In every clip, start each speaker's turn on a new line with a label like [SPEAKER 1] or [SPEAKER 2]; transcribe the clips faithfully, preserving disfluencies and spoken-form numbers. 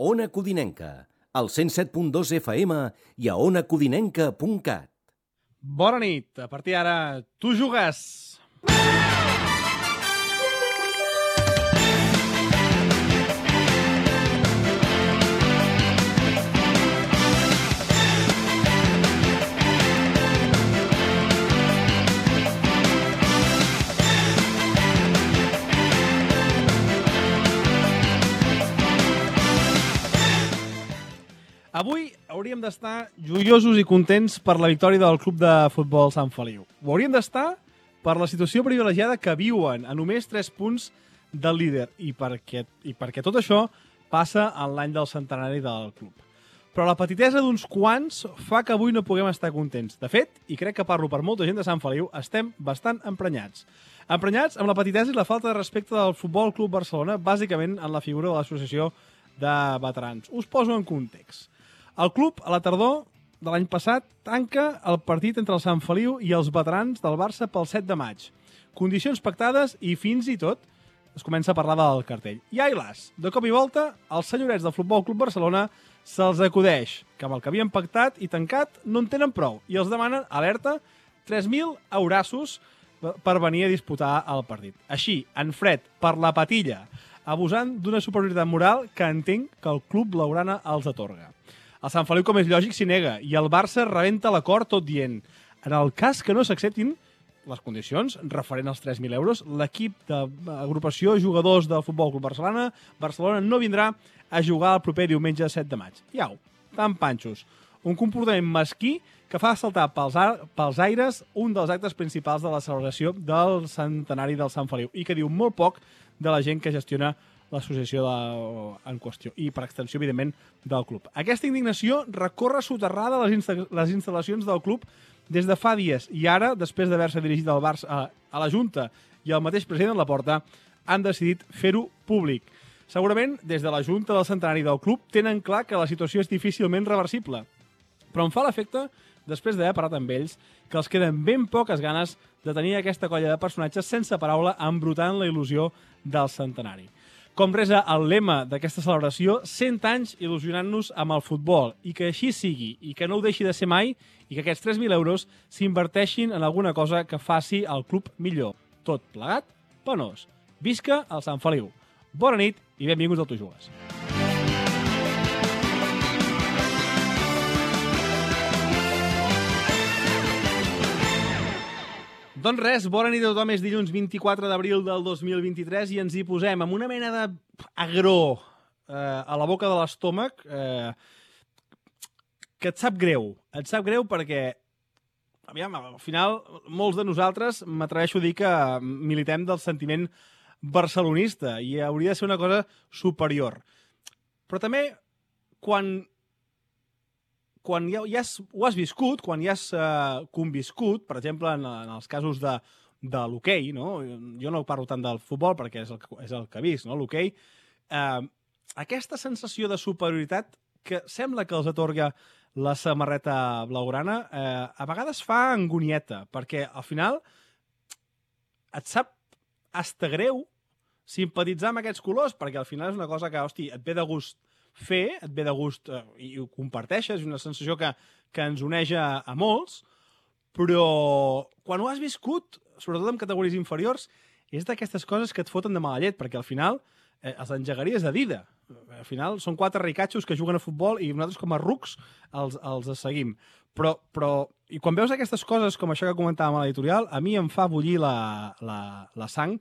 [SPEAKER 1] Ona Codinenca, al cent set punt dos F M i a ona codinenca punt cat.
[SPEAKER 2] Bona nit. A partir d'ara, tu jugues. Avui hauríem d'estar joiosos i contents per la victòria del Club de Futbol Sant Feliu. Ho hauríem d'estar per la situació privilegiada que viuen a només tres punts del líder i perquè, i perquè tot això passa en l'any del centenari del club. Però la petitesa d'uns quants fa que avui no puguem estar contents. De fet, i crec que parlo per molta gent de Sant Feliu, estem bastant emprenyats. Emprenyats amb la petitesa i la falta de respecte del Futbol Club Barcelona, bàsicament en la figura de l'associació de veterans. Us poso en context. El club, a la tardor de l'any passat, tanca el partit entre el Sant Feliu i els veterans del Barça pel set de maig. Condicions pactades i fins i tot es comença a parlar del cartell. I ai las, de cop i volta, els senyorets del Futbol Club Barcelona se'ls acudeix que amb el que havien pactat i tancat no en tenen prou i els demanen, alerta, tres mil eurassos per venir a disputar el partit. Així, en fred, per la patilla, abusant d'una superioritat moral que entenc que el club blaugrana els atorga. El Sant Feliu, com és lògic, s'hi nega i el Barça rebenta l'acord tot dient. En el cas que no s'acceptin les condicions referent als tres mil euros, l'equip d'agrupació jugadors del Futbol Club Barcelona Barcelona no vindrà a jugar el proper diumenge set de maig. Iau, tan panxos. Un comportament mesquí que fa saltar pels, pels aires un dels actes principals de la celebració del centenari del Sant Feliu i que diu molt poc de la gent que gestiona l'associació en qüestió i, per extensió, evidentment, del club. Aquesta indignació recorre soterrada les, insta les instal·lacions del club des de fa dies i ara, després d'haver-se dirigit al Barça, a, a la Junta i al mateix president Laporta, han decidit fer-ho públic. Segurament, des de la Junta del Centenari del club, tenen clar que la situació és difícilment reversible. Però em fa l'efecte, després d'haver parlat amb ells, que els queden ben poques ganes de tenir aquesta colla de personatges sense paraula embrutant la il·lusió del centenari. Com resa el lema d'aquesta celebració, cent anys il·lusionant-nos amb el futbol, i que així sigui, i que no ho deixi de ser mai, i que aquests tres mil euros s'inverteixin en alguna cosa que faci el club millor. Tot plegat, penós. Visca el Sant Feliu. Bona nit i benvinguts al Tu Jugues. Doncs res, bona nit a tothom, és dilluns vint-i-quatre d'abril del dos mil vint-i-tres i ens hi posem amb una mena d'agró eh, a la boca de l'estómac eh, que et sap greu. Et sap greu perquè, aviam, al final, molts de nosaltres, m'atreveixo a dir que militem del sentiment barcelonista i hauria de ser una cosa superior. Però també, quan... quan ja, ja has, ho has viscut, quan ja has uh, conviscut, per exemple, en, en els casos de, de l'hoquei, no? Jo no parlo tant del futbol perquè és el, és el que he vist, no? L'hoquei, uh, aquesta sensació de superioritat que sembla que els atorga la samarreta blaugrana, uh, a vegades fa angonieta, perquè al final et sap hasta greu simpatitzar amb aquests colors, perquè al final és una cosa que, hosti, et ve de gust fer, et ve de gust eh, i ho comparteixes, és una sensació que, que ens uneix a, a molts, però quan ho has viscut, sobretot en categories inferiors, és d'aquestes coses que et foten de mala llet, perquè al final eh, els engegaries de dida. Al final són quatre ricatxos que juguen a futbol i nosaltres com a rucs els, els seguim. Però, però, i quan veus aquestes coses com això que comentàvem a l'editorial, a mi em fa bullir la, la, la sang,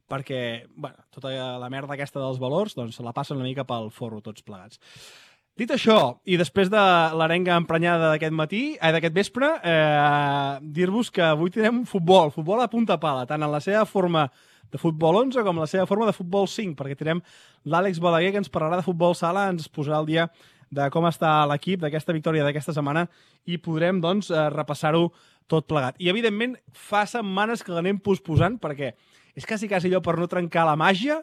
[SPEAKER 2] perquè bueno, tota la merda aquesta dels valors doncs, se la passen una mica pel forro tots plegats. Dit això, i després de l'arenga emprenyada d'aquest matí, eh, d'aquest vespre, eh, dir-vos que avui tindrem futbol, futbol a punta pala, tant en la seva forma de futbol onze com en la seva forma de futbol cinc, perquè tindrem l'Àlex Balaguer, que ens parlarà de futbol sala, ens posarà al dia de com està l'equip d'aquesta victòria d'aquesta setmana i podrem doncs, eh, repassar-ho tot plegat. I, evidentment, fa setmanes que l'anem posposant, perquè és quasi, quasi allò per no trencar la màgia,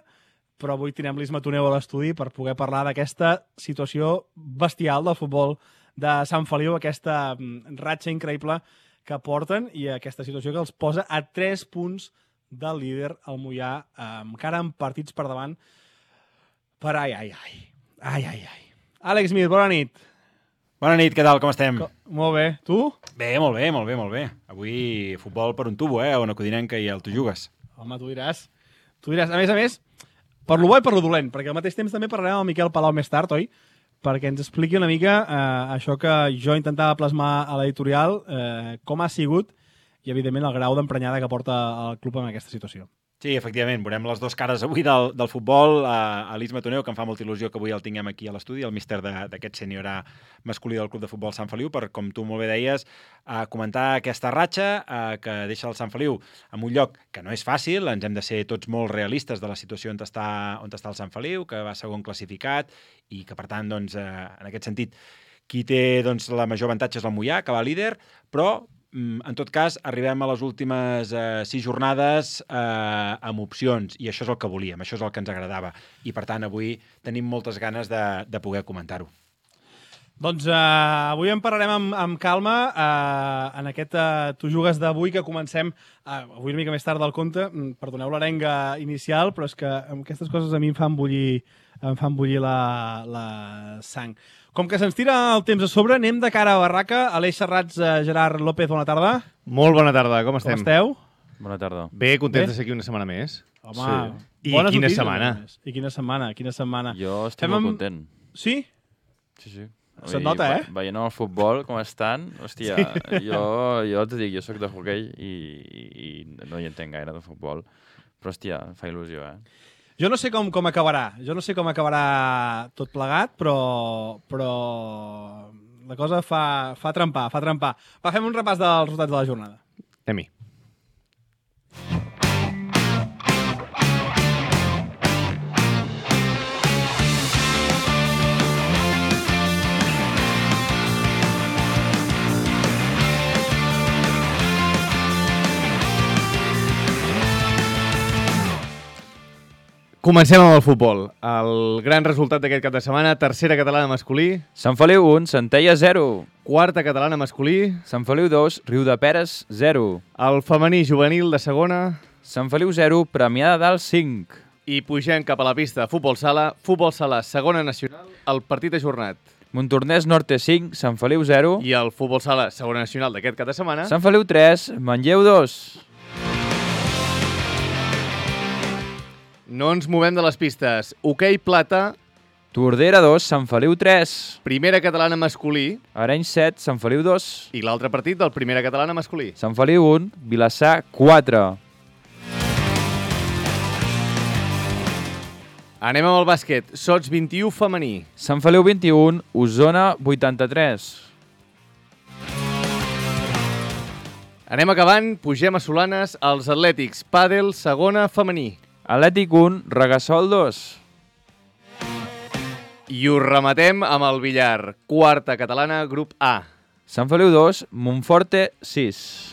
[SPEAKER 2] però avui tindrem l'Isma Toneu a l'estudi per poder parlar d'aquesta situació bestial del futbol de Sant Feliu, aquesta ratxa increïble que porten i aquesta situació que els posa a tres punts del líder, el Moià, encara amb partits per davant per ai, ai, ai. Ai, ai, ai. Àlex Mir, bona nit.
[SPEAKER 3] Bona nit, què tal, com estem?
[SPEAKER 2] Co molt bé. Tu?
[SPEAKER 3] Bé, molt bé, molt bé, molt bé. Avui futbol per un tubo, eh? Una codinenca i el tu jugues.
[SPEAKER 2] Home, tu diràs. Tu diràs. A més a més, per lo bo i per lo dolent, perquè al mateix temps també parlarem amb el Miquel Palau més tard, oi? Perquè ens expliqui una mica eh, això que jo intentava plasmar a l'editorial, eh, com ha sigut i, evidentment, el grau d'emprenyada que porta el club en aquesta situació.
[SPEAKER 3] Sí, efectivament, veurem les dues cares avui del, del futbol. Uh, Elis Matoneu, que em fa molta il·lusió que avui el tinguem aquí a l'estudi, el míster d'aquest sènior A masculí del Club de Futbol Sant Feliu, per, com tu molt bé deies, uh, comentar aquesta ratxa uh, que deixa el Sant Feliu en un lloc que no és fàcil, ens hem de ser tots molt realistes de la situació on està, on està el Sant Feliu, que va segon classificat i que, per tant, doncs, uh, en aquest sentit, qui té doncs, la major avantatge és el Moià, que va líder, però en tot cas, arribem a les últimes eh, sis jornades eh, amb opcions, i això és el que volíem, això és el que ens agradava. I, per tant, avui tenim moltes ganes de, de poder comentar-ho.
[SPEAKER 2] Doncs eh, avui en parlarem amb, amb calma. Eh, en aquest eh, Tu jugues d'avui, que comencem eh, avui una mica més tard del compte. Perdoneu l'arenga inicial, però és que aquestes coses a mi em fan bullir, em fan bullir la, la sang. Com que se'ns tira el temps a sobre, anem de cara a barraca. Aleix Serrats, eh, Gerard López, bona tarda.
[SPEAKER 4] Molt bona tarda, com estem?
[SPEAKER 2] Com esteu?
[SPEAKER 5] Bona tarda.
[SPEAKER 4] Bé, contents
[SPEAKER 2] Bé?
[SPEAKER 4] de ser aquí una setmana més.
[SPEAKER 2] Home,
[SPEAKER 5] Sí.
[SPEAKER 4] I
[SPEAKER 2] bones
[SPEAKER 4] quina
[SPEAKER 2] notícies,
[SPEAKER 4] setmana.
[SPEAKER 2] a més. I quina setmana, quina setmana.
[SPEAKER 5] Jo estic
[SPEAKER 2] Fem
[SPEAKER 5] molt
[SPEAKER 2] amb-
[SPEAKER 5] content.
[SPEAKER 2] Sí?
[SPEAKER 5] Sí, sí.
[SPEAKER 2] Se't nota, eh?
[SPEAKER 5] Ve- Veient el futbol, com estan, hòstia, sí. jo, jo et dic, jo sóc de hoquei i, i no hi entenc gaire de futbol, però hòstia, em fa il·lusió, eh?
[SPEAKER 2] Jo no sé com, com acabarà. Jo no sé com acabarà tot plegat, però, però la cosa fa, fa trempar, fa trempar. Va, fem un repàs dels resultats de la jornada.
[SPEAKER 4] Anem-hi. Comencem amb el futbol. El gran resultat d'aquest cap de setmana, tercera catalana masculí,
[SPEAKER 5] Sant Feliu un, Centella zero.
[SPEAKER 4] quarta catalana masculí,
[SPEAKER 5] Sant Feliu dos, Riudeperes zero.
[SPEAKER 4] el femení juvenil de segona
[SPEAKER 5] Sant Feliu zero, Premià de Dalt cinc.
[SPEAKER 4] i pugem cap a la pista de futbol sala, futbol sala segona nacional, el partit ajornat.
[SPEAKER 5] Montornès Norte cinc, Sant Feliu zero.
[SPEAKER 4] I el futbol sala segona nacional d'aquest cap de setmana,
[SPEAKER 5] Sant Feliu tres, Manlleu dos.
[SPEAKER 4] no ens movem de les pistes. Hoquei plata,
[SPEAKER 5] Tordera dos, Sant Feliu tres.
[SPEAKER 4] primera catalana masculí
[SPEAKER 5] Arenys set, Sant Feliu dos.
[SPEAKER 4] i l'altre partit del primera catalana masculí.
[SPEAKER 5] Sant Feliu un, Vilassar quatre.
[SPEAKER 4] Anem amb el bàsquet. Sots vint-i-u femení.
[SPEAKER 5] Sant Feliu vint-i-un, Osona vuitanta-tres.
[SPEAKER 4] Anem acabant, pugem a Solanes, els Atlètics, pàdel, segona femení.
[SPEAKER 5] Atlètic un, Regassol dos.
[SPEAKER 4] I ho rematem amb el billar, quarta catalana, grup A.
[SPEAKER 5] Sant Feliu dos, Montforte sis.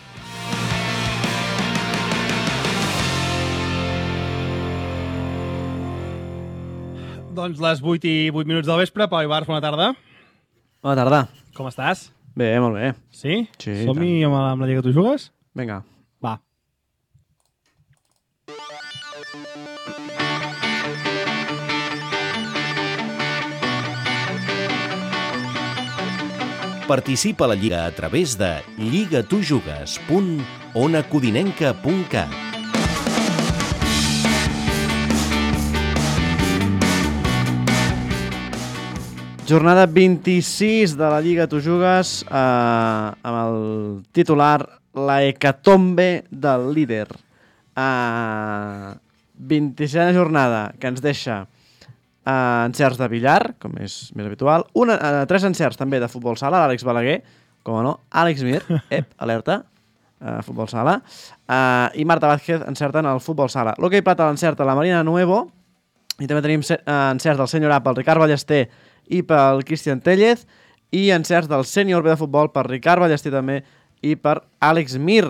[SPEAKER 2] Doncs les vuit i vuit minuts del vespre. Pau Ibarz, bona tarda.
[SPEAKER 6] Bona tarda.
[SPEAKER 2] Com estàs?
[SPEAKER 6] Bé, molt bé.
[SPEAKER 2] Sí?
[SPEAKER 6] Sí,
[SPEAKER 2] Som-hi amb, la- amb la Lliga Tu jugues?
[SPEAKER 6] Vinga.
[SPEAKER 2] Va.
[SPEAKER 1] Participa a la Lliga a través de lligatujugues punt onacodinenca punt cat.
[SPEAKER 6] Jornada vint-i-sis de la Lliga Tu jugues eh, amb el titular La hecatombe del líder. Eh, vint-i-sisena jornada que ens deixa eh, encerts de billar, com és més habitual. Una, eh, tres encerts també de futbol sala, l'Àlex Balaguer, com no, Àlex Mir, ep, alerta, eh, futbol sala, eh, i Marta Vázquez encerten el futbol sala. L'hoquei plata l'encerta la Marina Nuevo, i també tenim eh, encerts del sènior A pel Ricard Ballester i pel Cristian Tellez, i encerts del sènior B de futbol per Ricard Ballester també i per Àlex Mir.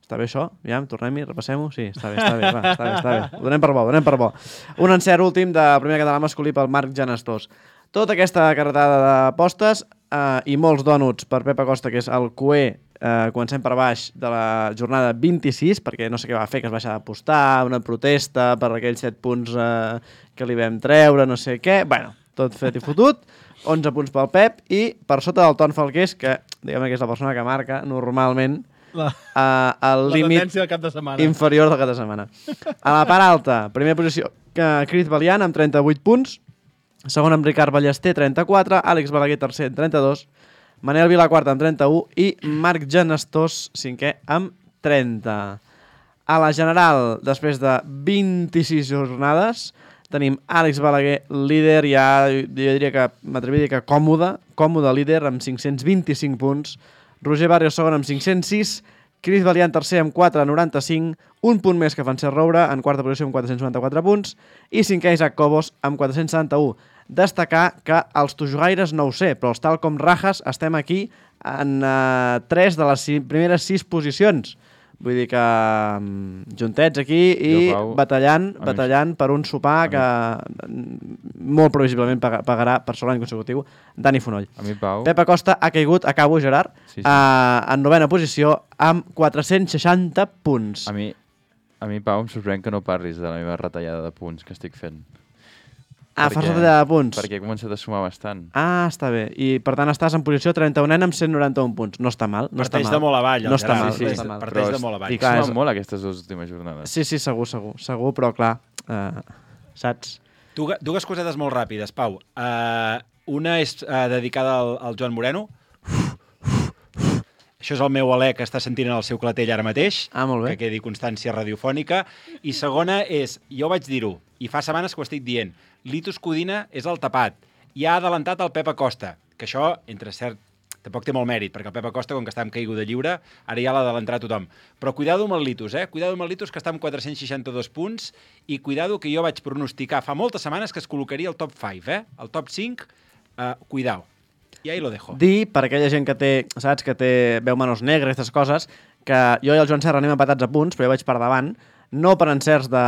[SPEAKER 6] Està bé això? Ja, tornem-hi, repassem-ho? Sí, està bé, està bé, va, està bé, està bé. Ho donem per bo, ho donem per bo. Un encert últim de primer català masculí pel Marc Janastós. Tota aquesta carretada d'apostes eh, i molts dònuts per Pep Acosta, que és el cuer, eh, comencem per baix de la jornada vint-i-sis, perquè no sé què va fer, que es va deixar d'apostar, una protesta per aquells set punts eh, que li vam treure, no sé què. Bueno, tot fet i fotut, onze punts pel Pep, i per sota del Ton Falqués, que diguem que és la persona que marca normalment
[SPEAKER 2] La,
[SPEAKER 6] uh, el
[SPEAKER 2] la
[SPEAKER 6] límit
[SPEAKER 2] tendència del cap de setmana.
[SPEAKER 6] inferior del cap de setmana. A la part alta, primera posició, que Cris Valiant amb trenta-vuit punts, segon amb Ricard Ballester, trenta-quatre, Àlex Balaguer tercer amb trenta-dos, Manel Vilaquart amb trenta-u i Marc Genestós, cinquè, amb trenta. A la general, després de vint-i-sis jornades, tenim Àlex Balaguer, líder, ja jo diria que m'atreviria a dir que còmode, còmode líder amb cinc-cents vint-i-cinc punts, Roger Barrios segon amb cinc-cents sis, Cris Valiant tercer amb quatre coma noranta-cinc, un punt més que Francesc Roure en quarta posició amb quatre-cents noranta-quatre punts i cinquè Isaac Cobos amb quatre-cents setanta-u. Destacar que els tojogaires no ho sé, però els tal com Rajas estem aquí en uh, tres de les sis, primeres sis posicions. Vull dir que um, juntets aquí i
[SPEAKER 5] Jo, Pau,
[SPEAKER 6] batallant,
[SPEAKER 5] a mi-
[SPEAKER 6] batallant per un sopar que mm, molt previsiblement pag- pagarà per segon any consecutiu Dani Fonoll.
[SPEAKER 5] A mi, Pau...
[SPEAKER 6] Pep Acosta ha caigut, acabo, Gerard,
[SPEAKER 5] Sí, sí.
[SPEAKER 6] uh, en novena posició amb quatre-cents seixanta punts.
[SPEAKER 5] A mi, a mi, Pau, em sorprèn que no parlis de la meva retallada de punts que estic fent.
[SPEAKER 6] Ah,
[SPEAKER 5] perquè-
[SPEAKER 6] fas retallada de punts.
[SPEAKER 5] Perquè he començat a sumar bastant.
[SPEAKER 6] Ah, està bé. I per tant estàs en posició trenta-u amb cent noranta-un punts. No està mal. No està
[SPEAKER 3] Parteix
[SPEAKER 6] mal.
[SPEAKER 3] de molt avall, el
[SPEAKER 6] No està
[SPEAKER 3] Gerard.
[SPEAKER 6] mal,
[SPEAKER 5] sí,
[SPEAKER 6] no
[SPEAKER 5] sí.
[SPEAKER 6] està mal.
[SPEAKER 3] Parteix de
[SPEAKER 5] Però
[SPEAKER 3] molt avall.
[SPEAKER 5] Estic
[SPEAKER 6] Clar,
[SPEAKER 5] sumant
[SPEAKER 6] és-
[SPEAKER 5] molt aquestes dues últimes jornades.
[SPEAKER 6] Sí, sí, segur, segur. Segur, però clar, uh, saps?
[SPEAKER 3] Dues, dues cosetes molt ràpides, Pau. Uh, una és uh, dedicada al, al Joan Moreno. Això és el meu alè que està sentint en el seu clatell ara mateix,
[SPEAKER 6] Ah, molt bé.
[SPEAKER 3] que quedi constància radiofònica. I segona és, jo vaig dir-ho, i fa setmanes que ho estic dient, Litus Codina és el tapat. I ha adelantat el Pep Acosta, que això, entre cert, tampoc té molt mèrit, perquè el Pep Acosta, com que està amb caiguda lliure, ara ja l'ha d'adelantar tothom. Però cuidado amb el Litus, eh? Cuidado amb el Litus, que està amb quatre-cents seixanta-dos punts, i cuidado que jo vaig pronosticar fa moltes setmanes que es col·locaria al top cinc, eh? El top cinc, uh, cuidao. I ahí lo dejo.
[SPEAKER 6] Dir, per aquella gent que té, saps, que té veu manos negres, aquestes coses, que jo i el Joan Serra anem empatats a punts, però jo vaig per davant, no per encerts de...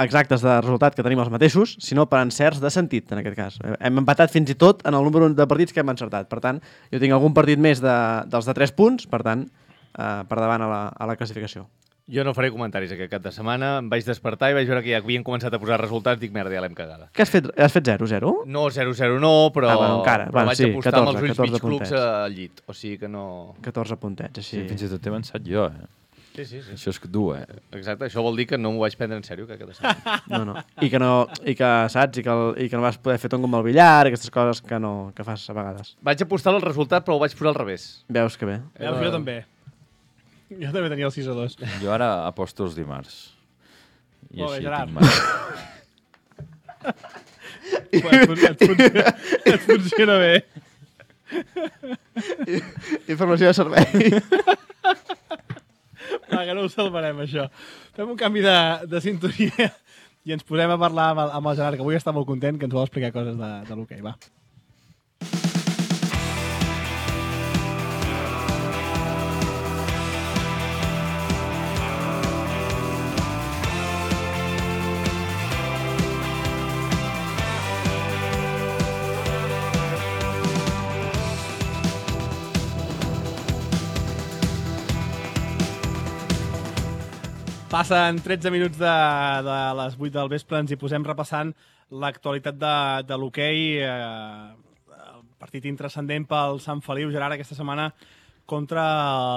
[SPEAKER 6] exactes de resultat que tenim els mateixos, sinó per encerts de sentit, en aquest cas. Hem empatat fins i tot en el número de partits que hem encertat. Per tant, jo tinc algun partit més de, dels de tres punts, per tant, eh, per davant a la, a la classificació.
[SPEAKER 4] Jo no faré comentaris aquest cap de setmana. Em vaig despertar i vaig veure que ja havien començat a posar resultats. Dic, merda, ja l'hem cagada.
[SPEAKER 6] Què has fet? Has fet zero zero?
[SPEAKER 4] No, zero zero no, però,
[SPEAKER 6] Ah, bueno, encara.
[SPEAKER 4] però
[SPEAKER 6] Bueno,
[SPEAKER 4] vaig
[SPEAKER 6] sí,
[SPEAKER 4] apostar
[SPEAKER 6] catorze,
[SPEAKER 4] amb els ulls
[SPEAKER 6] catorze
[SPEAKER 4] mig clubs
[SPEAKER 6] puntets.
[SPEAKER 4] al llit. O sigui que no...
[SPEAKER 6] catorze puntets, així.
[SPEAKER 5] Sí, fins i tot he avançat jo, eh?
[SPEAKER 4] Sí, sí, sí.
[SPEAKER 5] Això és dur, eh?
[SPEAKER 4] Exacte, això vol dir que no m'ho vaig prendre en sèrio aquest cap de setmana.
[SPEAKER 6] No, no. I que no, i que saps, i que, el, i que no vas poder fer ton com el billar, aquestes coses que no que fas a vegades.
[SPEAKER 4] Vaig apostar el resultat, però ho vaig posar al revés.
[SPEAKER 6] Veus que bé.
[SPEAKER 2] Veus, jo també. Jo també tenia el sis a dos.
[SPEAKER 5] Jo ara aposto els dimarts. I
[SPEAKER 2] Molt bé,
[SPEAKER 5] així
[SPEAKER 2] Gerard.
[SPEAKER 5] tinc mal.
[SPEAKER 2] Et, fun et, funciona, et funciona bé.
[SPEAKER 6] Informació de servei.
[SPEAKER 2] Va, que no ho salvarem, això. Fem un canvi de, de sintonia i ens posem a parlar amb el, amb el Gerard, que avui està molt content, que ens vol explicar coses de, de l'hoquei. Va. Passen tretze minuts de, de les vuit del vespre, ens hi posem repassant l'actualitat de, de l'hoquei, eh, el partit intrascendent pel Sant Feliu, Gerard, aquesta setmana contra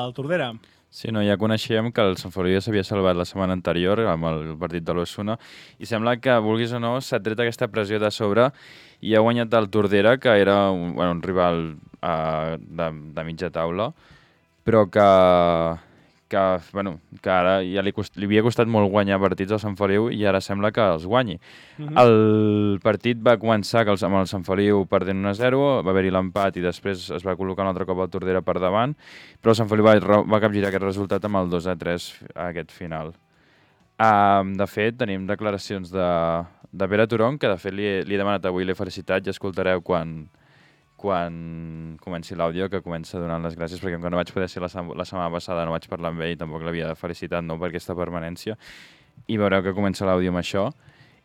[SPEAKER 2] el Tordera.
[SPEAKER 5] Sí, no, ja coneixíem que el Sant Feliu ja s'havia salvat la setmana anterior amb el partit de l'Osuna i sembla que, vulguis o no, s'ha tret aquesta pressió de sobre i ha guanyat el Tordera, que era un, bueno, un rival uh, de, de mitja taula, però que, que, bueno, que ara ja li, cost, li havia costat molt guanyar partits al Sant Feliu i ara sembla que els guanyi.
[SPEAKER 2] Mhm.
[SPEAKER 5] El partit va començar que el, amb el Sant Feliu perdent un a zero, va haver-hi l'empat i després es va col·locar un altre cop el Tordera per davant, però el Sant Feliu va, va capgirar aquest resultat amb el dos a tres a aquest final. Um, de fet, tenim declaracions de, de Pere Turon, que de fet li he, li he demanat avui, l'he felicitat, ja escoltareu quan, quan comenci l'àudio, que comença donant les gràcies, perquè com que no vaig poder ser la, la setmana passada, no vaig parlar amb ell, tampoc l'havia felicitat, no, per aquesta permanència, i veureu que comença l'àudio amb això.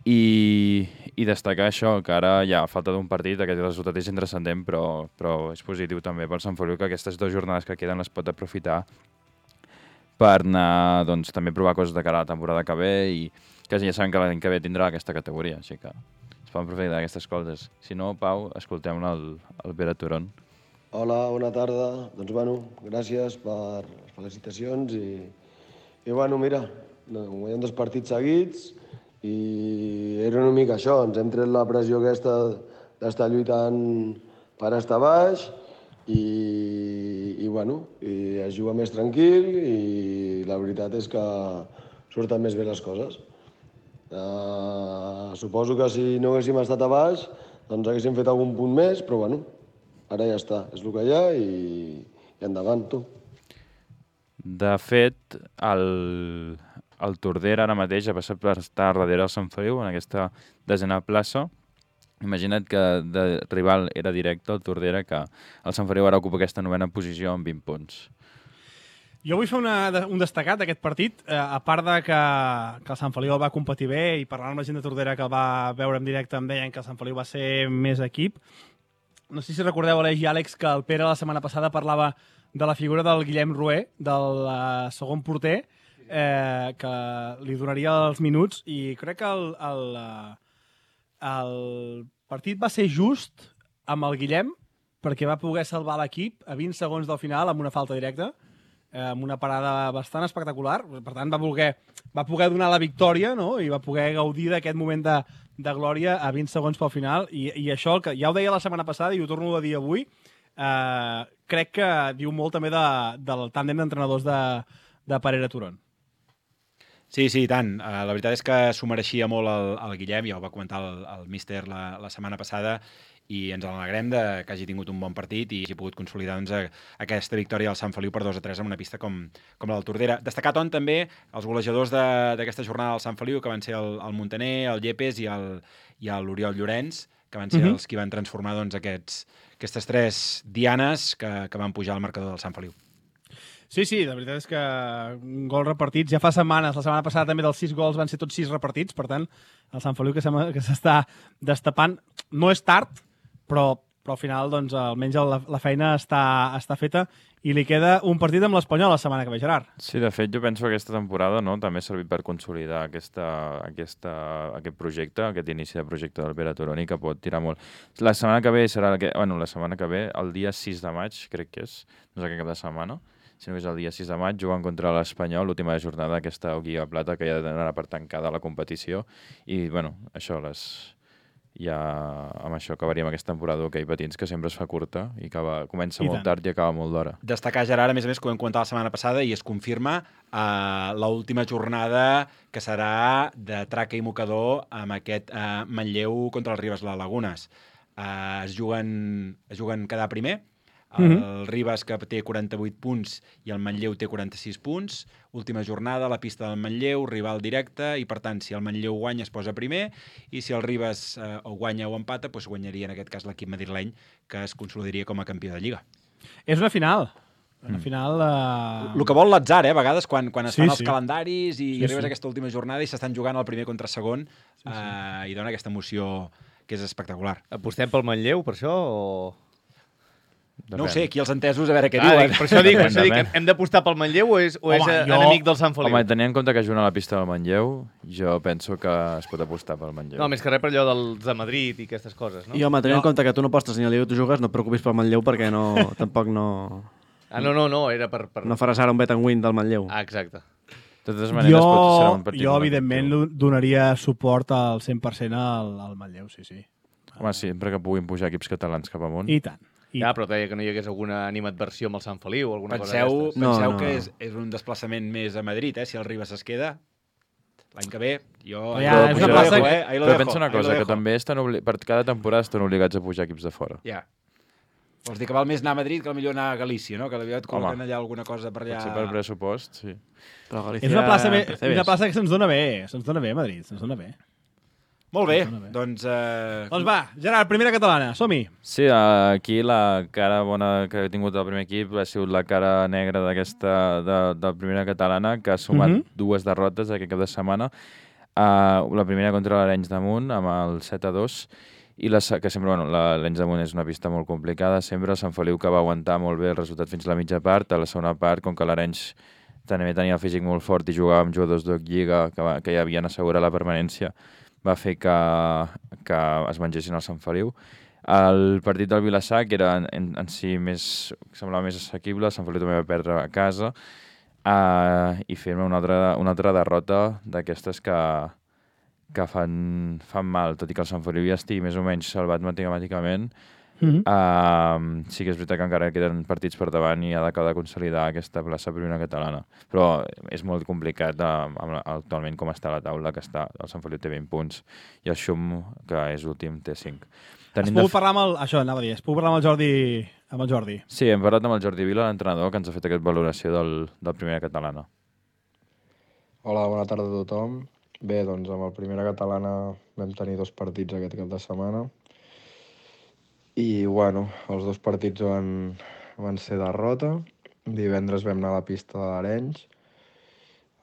[SPEAKER 5] I, i destacar això, que ara ja a falta d'un partit, aquest resultat és intrascendent, però, però és positiu també pel Sant Feliu, que aquestes dues jornades que queden les pot aprofitar per anar, doncs, també provar coses de cara a la temporada que ve i que ja sabem que l'any que ve tindrà aquesta categoria, així que fan profe d'aquestes coses. Si no, Pau, escoltem el, el Pere Turon.
[SPEAKER 7] Hola, bona tarda. Doncs, bueno, gràcies per les felicitacions i, i bueno, mira, guanyem dos partits seguits i era una mica això, ens hem tret la pressió aquesta d'estar lluitant per estar baix i, i bueno, i es juga més tranquil i la veritat és que surten més bé les coses. Uh, suposo que si no haguéssim estat a baix, doncs haguéssim fet algun punt més, però bueno, ara ja està, és el que hi ha i, i endavant, tu.
[SPEAKER 5] De fet, el, el Tordera ara mateix ha passat per estar darrere del Sant Feliu en aquesta desena plaça. Imagina't que de rival era directe el Tordera, que el Sant Feliu ara ocupa aquesta novena posició amb vint punts.
[SPEAKER 2] Jo vull fer una, un destacat d'aquest partit, eh, a part de que, que el Sant Feliu el va competir bé i parlant amb la gent de Tordera que el va veure en directe em deien que el Sant Feliu va ser més equip. No sé si recordeu, Aleix i Àlex, que el Pere la setmana passada parlava de la figura del Guillem Rué, del uh, segon porter, eh, que li donaria els minuts i crec que el, el, uh, el partit va ser just amb el Guillem perquè va poder salvar l'equip a vint segons del final amb una falta directa, amb una parada bastant espectacular. Per tant, va poder, va poder donar la victòria, no? I va poder gaudir d'aquest moment de, de glòria a vint segons pel final. I, i això, que ja ho deia la setmana passada i ho torno a dir avui, eh, crec que diu molt també de, del tàndem d'entrenadors de, de Parera Turon.
[SPEAKER 3] Sí, sí, i tant. Uh, la veritat és que s'ho mereixia molt el, el Guillem, ja ho va comentar el, el míster la, la setmana passada, i ens alegrem de que hagi tingut un bon partit i hagi pogut consolidar doncs, a, a aquesta victòria del Sant Feliu per dos a tres en una pista com, com la del Tordera. Destacar, Ton, també els golejadors d'aquesta jornada del Sant Feliu, que van ser el, el Montaner, el Llepes i l'Oriol Llorenç, que van ser uh-huh. els que van transformar doncs, aquests, aquestes tres dianes que, que van pujar al marcador del Sant Feliu.
[SPEAKER 2] Sí, sí, la veritat és que gols repartits. Ja fa setmanes, la setmana passada també dels sis gols van ser tots sis repartits, per tant, el Sant Feliu que s'està destapant. No és tard, però, però al final doncs, almenys la, la feina està, està feta i li queda un partit amb l'Espanyol la setmana que ve, Gerard.
[SPEAKER 5] Sí, de fet, jo penso que aquesta temporada no, també ha servit per consolidar aquesta, aquesta, aquest projecte, aquest inici de projecte del Pere Turoni, que pot tirar molt. La setmana que ve serà... Que, bueno, la setmana que ve, el dia sis de maig, crec que és, no és aquest cap de setmana, sinó que és el dia sis de maig, jugant contra l'Espanyol, l'última jornada d'aquesta Lliga Plata, que ja donarà per tancada la competició. I, bueno, això, les... ja amb això acabaríem aquesta temporada d'hoquei patins, que sempre es fa curta i que va, comença I molt tant. tard i acaba molt d'hora.
[SPEAKER 3] Destacar, Gerard, a més a més, que ho vam comentar la setmana passada i es confirma eh, l'última jornada que serà de traca i mocador amb aquest eh, Manlleu contra el Ribes La Lagunes. Eh, es, juguen, es juguen quedar primer. El mm-hmm. Ribes, que té quaranta-vuit punts, i el Manlleu té quaranta-sis punts. Última jornada, la pista del Manlleu, rival directe, i per tant, si el Manlleu guanya es posa primer, i si el Ribes eh, o guanya o empata, doncs guanyaria en aquest cas l'equip madrileny, que es consolidaria com a campió de Lliga.
[SPEAKER 2] És una final. Una final... Uh...
[SPEAKER 3] El que vol l'atzar, eh, a vegades, quan, quan es
[SPEAKER 2] sí,
[SPEAKER 3] fan els
[SPEAKER 2] sí.
[SPEAKER 3] calendaris i
[SPEAKER 2] sí,
[SPEAKER 3] arribes
[SPEAKER 2] sí.
[SPEAKER 3] a aquesta última jornada i s'estan jugant el primer contra segon, sí, sí. Eh, i dona aquesta emoció que és espectacular.
[SPEAKER 4] Apostem pel Manlleu, per això, o...?
[SPEAKER 3] Depèn. No ho sé, aquí els entesos, a veure què
[SPEAKER 4] ah,
[SPEAKER 3] diuen.
[SPEAKER 4] Dic, per això dic, per això dic hem d'apostar pel Manlleu o és, o Home, és jo... enemic del Sant Feliu?
[SPEAKER 5] Home, tenint en compte que juguen a la pista del Manlleu, jo penso que es pot apostar pel Manlleu.
[SPEAKER 4] No, més que res per allò dels de Madrid i aquestes coses, no?
[SPEAKER 6] I home, tenint jo... en compte que tu no postes ni a Liga tu jugues, no et preocupis pel Manlleu perquè no, tampoc no...
[SPEAKER 4] Ah, no, no, no, era per... per...
[SPEAKER 6] No faràs ara un bet and win del Manlleu.
[SPEAKER 4] Ah, exacte.
[SPEAKER 5] De totes maneres,
[SPEAKER 2] jo,
[SPEAKER 5] pot ser un partit.
[SPEAKER 2] Jo, evidentment, donaria suport al cent per cent al, al Manlleu, sí, sí.
[SPEAKER 5] Home, sempre que puguin pujar equips catalans cap amunt.
[SPEAKER 2] I tant. I...
[SPEAKER 4] Ja, però deia que no hi hagués alguna animadversió amb el Sant Feliu o alguna
[SPEAKER 3] penseu,
[SPEAKER 4] cosa d'aquestes.
[SPEAKER 3] Penseu
[SPEAKER 6] no, no.
[SPEAKER 3] que és, és un desplaçament més a Madrid, eh? Si el Ribes es queda, l'any que ve, jo...
[SPEAKER 2] Ja,
[SPEAKER 3] jo
[SPEAKER 2] és una plaça
[SPEAKER 3] dejo,
[SPEAKER 2] que...
[SPEAKER 3] eh?
[SPEAKER 5] Però pensa una cosa, que també estan obli... per cada temporada estan obligats a pujar equips de fora.
[SPEAKER 3] Ja. Vols dir que val més anar a Madrid que millor anar a Galícia, no? Que potser et col·loquen allà alguna cosa per allà...
[SPEAKER 5] Potser per pressupost, sí.
[SPEAKER 6] Però Galícia...
[SPEAKER 2] És una plaça, me... una plaça que se'ns dona bé, se'ns dona bé, Madrid, se'ns dona bé.
[SPEAKER 3] Molt bé, doncs... Eh...
[SPEAKER 2] Doncs va, Gerard, primera catalana, som-hi.
[SPEAKER 5] Sí, aquí la cara bona que ha tingut el primer equip ha sigut la cara negra d'aquesta de, de la primera catalana, que ha sumat uh-huh. dues derrotes aquest cap de setmana. Uh, la primera contra l'Arenys de Munt, amb el set a dos, i la, que sempre, bueno, l'Arenys de Munt és una pista molt complicada, sempre el Sant Feliu que va aguantar molt bé el resultat fins a la mitja part. A la segona part, com que l'Arenys també tenia el físic molt fort i jugava amb jugadors d'Oc Lliga que, va, que ja havien assegurat la permanència, va fer que, que es mengessin el Sant Feliu. El partit del Vilassar, que era en, en si més, semblava més assequible, el Sant Feliu també va perdre a casa, uh, i fer-me una altra, una altra derrota d'aquestes que, que fan, fan mal, tot i que el Sant Feliu ja estigui més o menys salvat matemàticament. Mm-hmm. Uh, sí que és veritat que encara queden partits per davant i ha d'acabar de consolidar aquesta plaça primera catalana, però és molt complicat uh, amb, actualment com està la taula, que està, el Sant Feliu té vint punts i el Xum, que és últim, té cinc.
[SPEAKER 2] Has pogut parlar amb el... Això, anava a dir, has pogut parlar amb el Jordi... Amb el Jordi.
[SPEAKER 5] Sí, hem parlat amb el Jordi Vila, l'entrenador, que ens ha fet aquesta valoració del, del primera catalana.
[SPEAKER 8] Hola, bona tarda a tothom. Bé, doncs amb el primera catalana vam tenir dos partits aquest cap de setmana. I, bueno, els dos partits van, van ser derrota. Divendres vam anar a la pista de l'Arenys.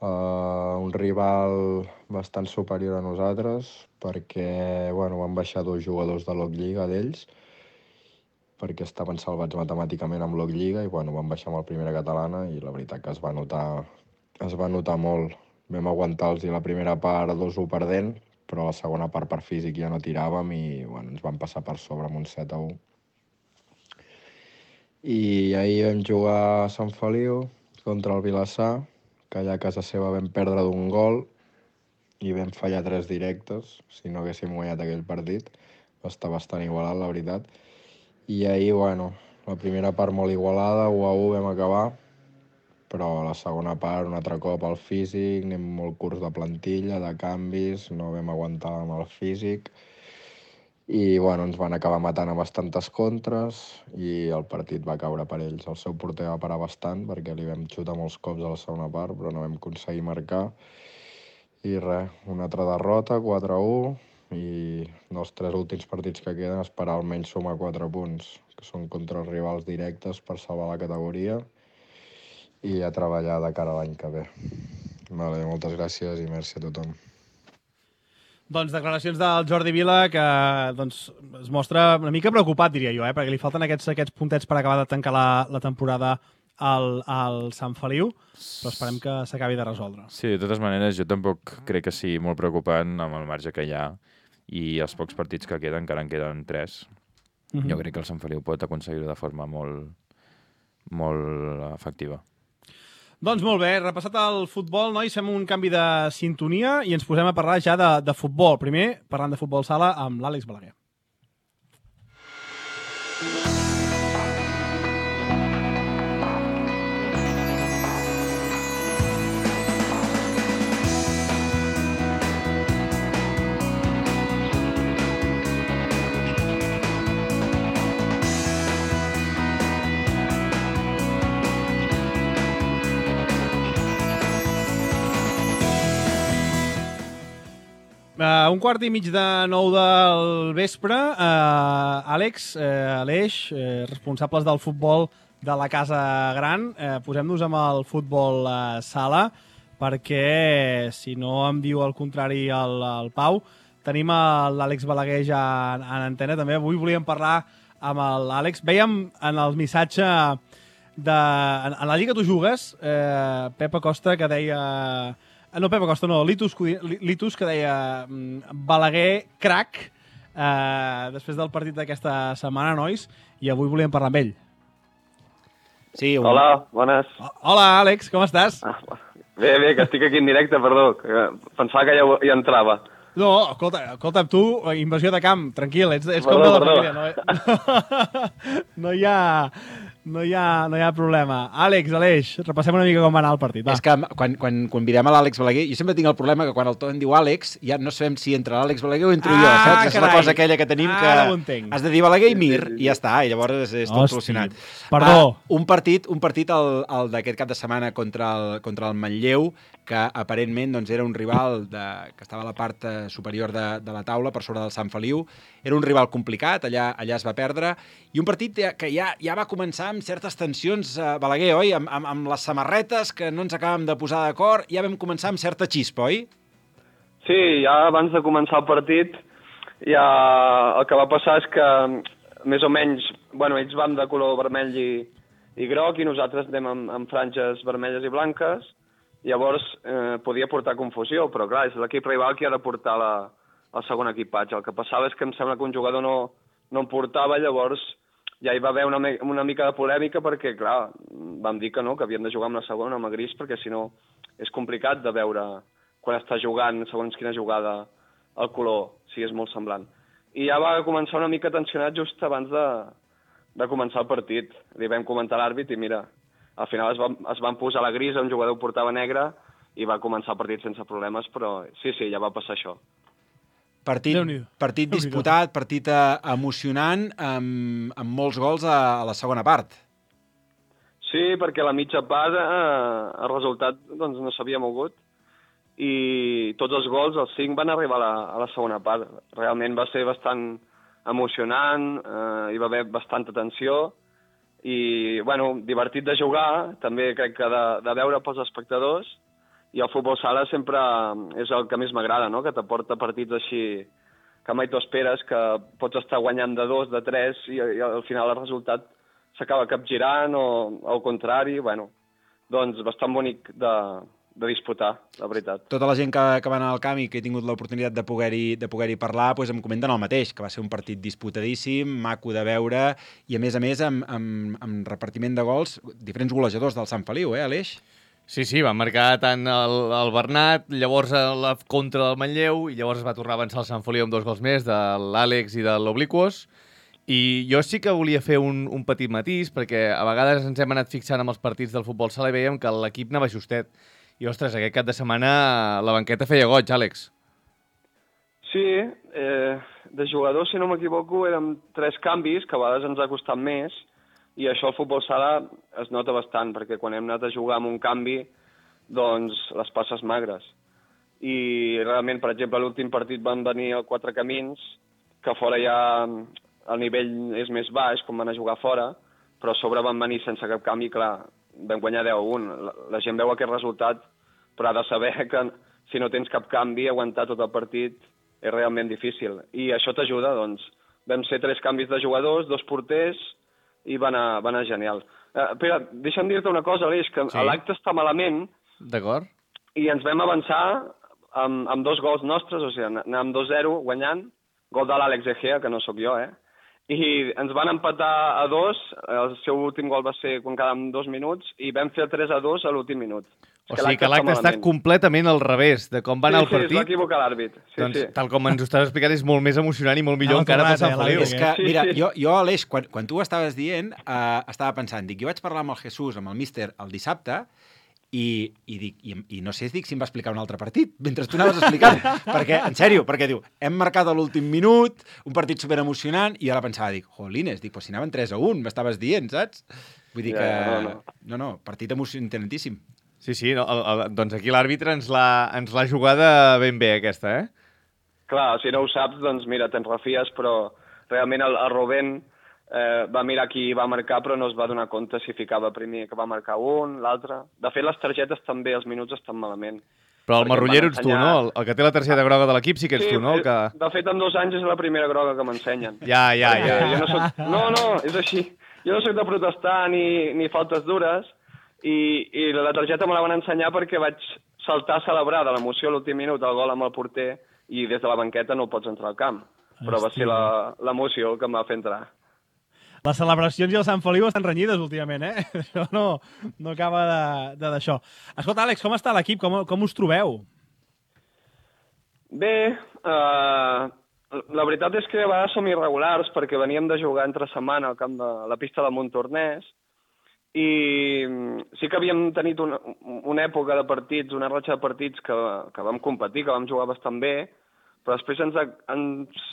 [SPEAKER 8] Uh, un rival bastant superior a nosaltres, perquè, bueno, van baixar dos jugadors de l'O C Lliga d'ells, perquè estaven salvats matemàticament amb l'O C Lliga, i, bueno, van baixar amb el primera catalana, i la veritat que es va notar, es va notar molt. Vam aguantar-los la primera part dos u perdent, però la segona part per físic ja no tiràvem i, bueno, ens van passar per sobre amb un set a u. I ahir vam jugar a Sant Feliu contra el Vilassar, que allà a casa seva vam perdre d'un gol i vam fallar tres directes, si no haguéssim guanyat aquell partit. Va estar bastant igualat, la veritat. I ahir, bueno, la primera part molt igualada, u a u vam acabar, però la segona part, un altre cop al físic, anem molt curts de plantilla, de canvis, no vam aguantar amb el físic, i, bueno, ens van acabar matant a bastantes contres i el partit va caure per ells. El seu porter va parar bastant perquè li vam xutar molts cops a la segona part, però no vam aconseguir marcar. I res, una altra derrota, quatre a u, i dels tres últims partits que queden esperar almenys sumar quatre punts, que són contra els rivals directes per salvar la categoria i a treballar de cara a l'any que ve. Vale, moltes gràcies i merci a tothom.
[SPEAKER 2] Doncs declaracions del Jordi Vila que doncs, es mostra una mica preocupat, diria jo, eh? Perquè li falten aquests, aquests puntets per acabar de tancar la, la temporada al, al Sant Feliu, però esperem que s'acabi de resoldre.
[SPEAKER 5] Sí, de totes maneres, jo tampoc crec que sigui molt preocupant amb el marge que hi ha i els pocs partits que queden, encara en queden tres. Mm-hmm. Jo crec que el Sant Feliu pot aconseguir-ho de forma molt, molt efectiva.
[SPEAKER 2] Doncs molt bé, repassat el futbol, nois, fem un canvi de sintonia i ens posem a parlar ja de, de futbol. Primer, parlant de futbol sala amb l'Àlex Balaguer. Uh, un quart i mig de nou del vespre. Uh, Àlex, uh, Aleix, uh, responsables del futbol de la Casa Gran, uh, posem-nos amb el futbol uh, sala, perquè, si no em diu el contrari el, el Pau, tenim l'Àlex Balaguer ja en, en antena. També avui volíem parlar amb l'Àlex. Vèiem en el missatge de... En, en la Lliga Tu Jugues, uh, Pep Acosta, que deia... No, Pep Acosta, no, Litus, Litus que deia Balaguer, crac, eh, després del partit d'aquesta setmana, nois, i avui volíem parlar amb ell.
[SPEAKER 9] Sí, un... Hola, bones.
[SPEAKER 2] Hola, Àlex, com estàs?
[SPEAKER 9] Ah, bé, bé, que estic aquí en directe, perdó, que pensava que ja hi entrava.
[SPEAKER 2] No, escolta, escolta, tu, invasió de camp, tranquil, ets, ets perdó, com de la família. No, no, hi ha, no, hi ha, no hi ha problema. Àlex, Aleix, repassem una mica com va anar el partit. Va.
[SPEAKER 3] És que quan, quan convidem a l'Àlex Balaguer, jo sempre tinc el problema que quan el Ton diu Àlex, ja no sabem si entra l'Àlex Balaguer o entro ah, jo. Saps? És la cosa aquella que tenim que has de dir Balaguer i Mir, i ja està, i llavors és, és tot solucionat.
[SPEAKER 2] Perdó.
[SPEAKER 3] Uh, un partit, un partit el, el d'aquest cap de setmana contra el, contra el Manlleu, que aparentment doncs, era un rival de, que estava a la part superior de, de la taula, per sobre del Sant Feliu. Era un rival complicat, allà, allà es va perdre, i un partit que ja, ja va començar amb certes tensions, eh, Balaguer, oi? Amb, amb, amb les samarretes, que no ens acabem de posar d'acord, ja vam començar amb certa xispa, oi?
[SPEAKER 9] Sí, ja abans de començar el partit, ja el que va passar és que, més o menys, bueno, ells van de color vermell i, i groc, i nosaltres anem amb, amb franges vermelles i blanques. Llavors eh, podia portar confusió, però clar, és l'equip rival qui ha de portar la, el segon equipatge. El que passava és que em sembla que un jugador no, no em portava, llavors ja hi va haver una, una mica de polèmica perquè, clar, vam dir que no, que havíem de jugar amb la segona, amb el gris, perquè si no és complicat de veure quan està jugant, segons quina jugada, el color, si és molt semblant. I ja va començar una mica tensionat just abans de, de començar el partit. Li vam comentar a l'àrbit i mira, al final es van, es van posar la grisa, un jugador portava negre i va començar el partit sense problemes, però sí, sí, ja va passar això.
[SPEAKER 3] Partit, partit disputat, partit emocionant, amb, amb molts gols a, a la segona part.
[SPEAKER 9] Sí, perquè a la mitja part eh, el resultat doncs, no s'havia mogut i tots els gols, els cinc, van arribar a la, a la segona part. Realment va ser bastant emocionant, eh, hi va haver bastanta tensió i, bueno, divertit de jugar, també crec que de, de veure pels espectadors. I el futbol sala sempre és el que més m'agrada, no? Que t'aporta partits així que mai t'ho esperes, que pots estar guanyant de dos, de tres, i, i al final el resultat s'acaba capgirant o al contrari. Bueno, doncs bastant bonic de, de disputar, la veritat.
[SPEAKER 3] Tota la gent que, que va anar al camp i que he tingut l'oportunitat de poder-hi de poder-hi parlar, doncs em comenten el mateix, que va ser un partit disputadíssim, maco de veure, i a més a més amb, amb, amb repartiment de gols, diferents golejadors del Sant Feliu, eh, Aleix?
[SPEAKER 4] Sí, sí, va marcar tant el, el Bernat, llavors la contra del Manlleu, i llavors es va tornar a avançar el Sant Feliu amb dos gols més, de l'Àlex i de l'Obliquos. I jo sí que volia fer un, un petit matís, perquè a vegades ens hem anat fixant amb els partits del futbol sala i veiem que l'equip anava justet. I, ostres, aquest cap de setmana la banqueta feia goig, Àlex.
[SPEAKER 9] Sí, eh, de jugadors, si no m'equivoco, eren tres canvis, que a vegades ens ha costat més, i això al futbol sala es nota bastant, perquè quan hem anat a jugar amb un canvi, doncs les passes magres. I realment, per exemple, a l'últim partit van venir a Quatre Camins, que fora ja el nivell és més baix, com van a jugar fora, però a sobre van venir sense cap canvi, clar, vam guanyar deu a un. La, la gent veu aquest resultat, però ha de saber que si no tens cap canvi, aguantar tot el partit és realment difícil. I això t'ajuda, doncs. Vam ser tres canvis de jugadors, dos porters, i va anar, va anar genial. Uh, Pere, deixa'm dir-te una cosa, Aleix, que sí. L'acte està malament.
[SPEAKER 4] D'acord.
[SPEAKER 9] I ens vam avançar amb, amb dos gols nostres, o sigui, anàvem dos zero guanyant, gol de l'Àlex Egea, que no sóc jo, eh? I ens van empatar a dos, el seu últim gol va ser quan quedàvem dos minuts, i vam fer el tres a dos a l'últim minut.
[SPEAKER 4] O sigui que l'acte està completament al revés de com va anar el partit.
[SPEAKER 9] Sí, sí, es va equivocar l'àrbit. Sí,
[SPEAKER 4] doncs,
[SPEAKER 9] sí.
[SPEAKER 4] Tal com ens ho estàs explicant, és molt més emocionant i molt millor no, encara pel Sant Feliu.
[SPEAKER 3] És que, mira, jo, jo Aleix, quan, quan tu ho estaves dient, eh, estava pensant, dic, jo vaig parlar amb el Jesús, amb el míster, el dissabte, i, i, dic, i, i no sé, dic, si em va explicar un altre partit, mentre tu anaves explicant. perquè, en sèrio, perquè diu, hem marcat a l'últim minut, un partit superemocionant, i ara pensava, dic, jolines, dic, pues si anaven tres a un, m'estaves dient, saps? Vull dir que...
[SPEAKER 9] Ja, no, no.
[SPEAKER 3] no, no, partit emocionantíssim.
[SPEAKER 4] Sí, sí, no, el, el, doncs aquí l'àrbitre ens l'ha jugada ben bé, aquesta, eh?
[SPEAKER 9] Clar, si no ho saps, doncs mira, te'n refies, però realment el, el Rubén eh, va mirar qui va marcar, però no es va donar compte si ficava primer que va marcar un, l'altre. De fet, les targetes també, els minuts estan malament.
[SPEAKER 4] Però el marrullero ets tu, no? El, el que té la targeta groga de l'equip sí que ets
[SPEAKER 9] sí,
[SPEAKER 4] tu, no? El que...
[SPEAKER 9] De fet, en dos anys és la primera groga que m'ensenyen.
[SPEAKER 4] Ja, ja, ja.
[SPEAKER 9] Jo no, soc... no, no, és així. Jo no soc de protestar ni, ni faltes dures, i, i la targeta me la van ensenyar perquè vaig saltar a celebrar de l'emoció a l'últim minut el gol amb el porter i des de la banqueta no pots entrar al camp. Però va ser l'emoció que em va fer entrar.
[SPEAKER 2] Les celebracions i el Sant Feliu estan renyides últimament, eh? Això no, no acaba d'això. Escolta, Àlex, com està l'equip? Com, com us trobeu?
[SPEAKER 9] Bé, eh, la veritat és que a vegades som irregulars perquè veníem de jugar entre setmana al camp de la pista de Montornès i sí que havíem tenit una, una època de partits, una ratxa de partits que, que vam competir, que vam jugar bastant bé, però després ens, ens,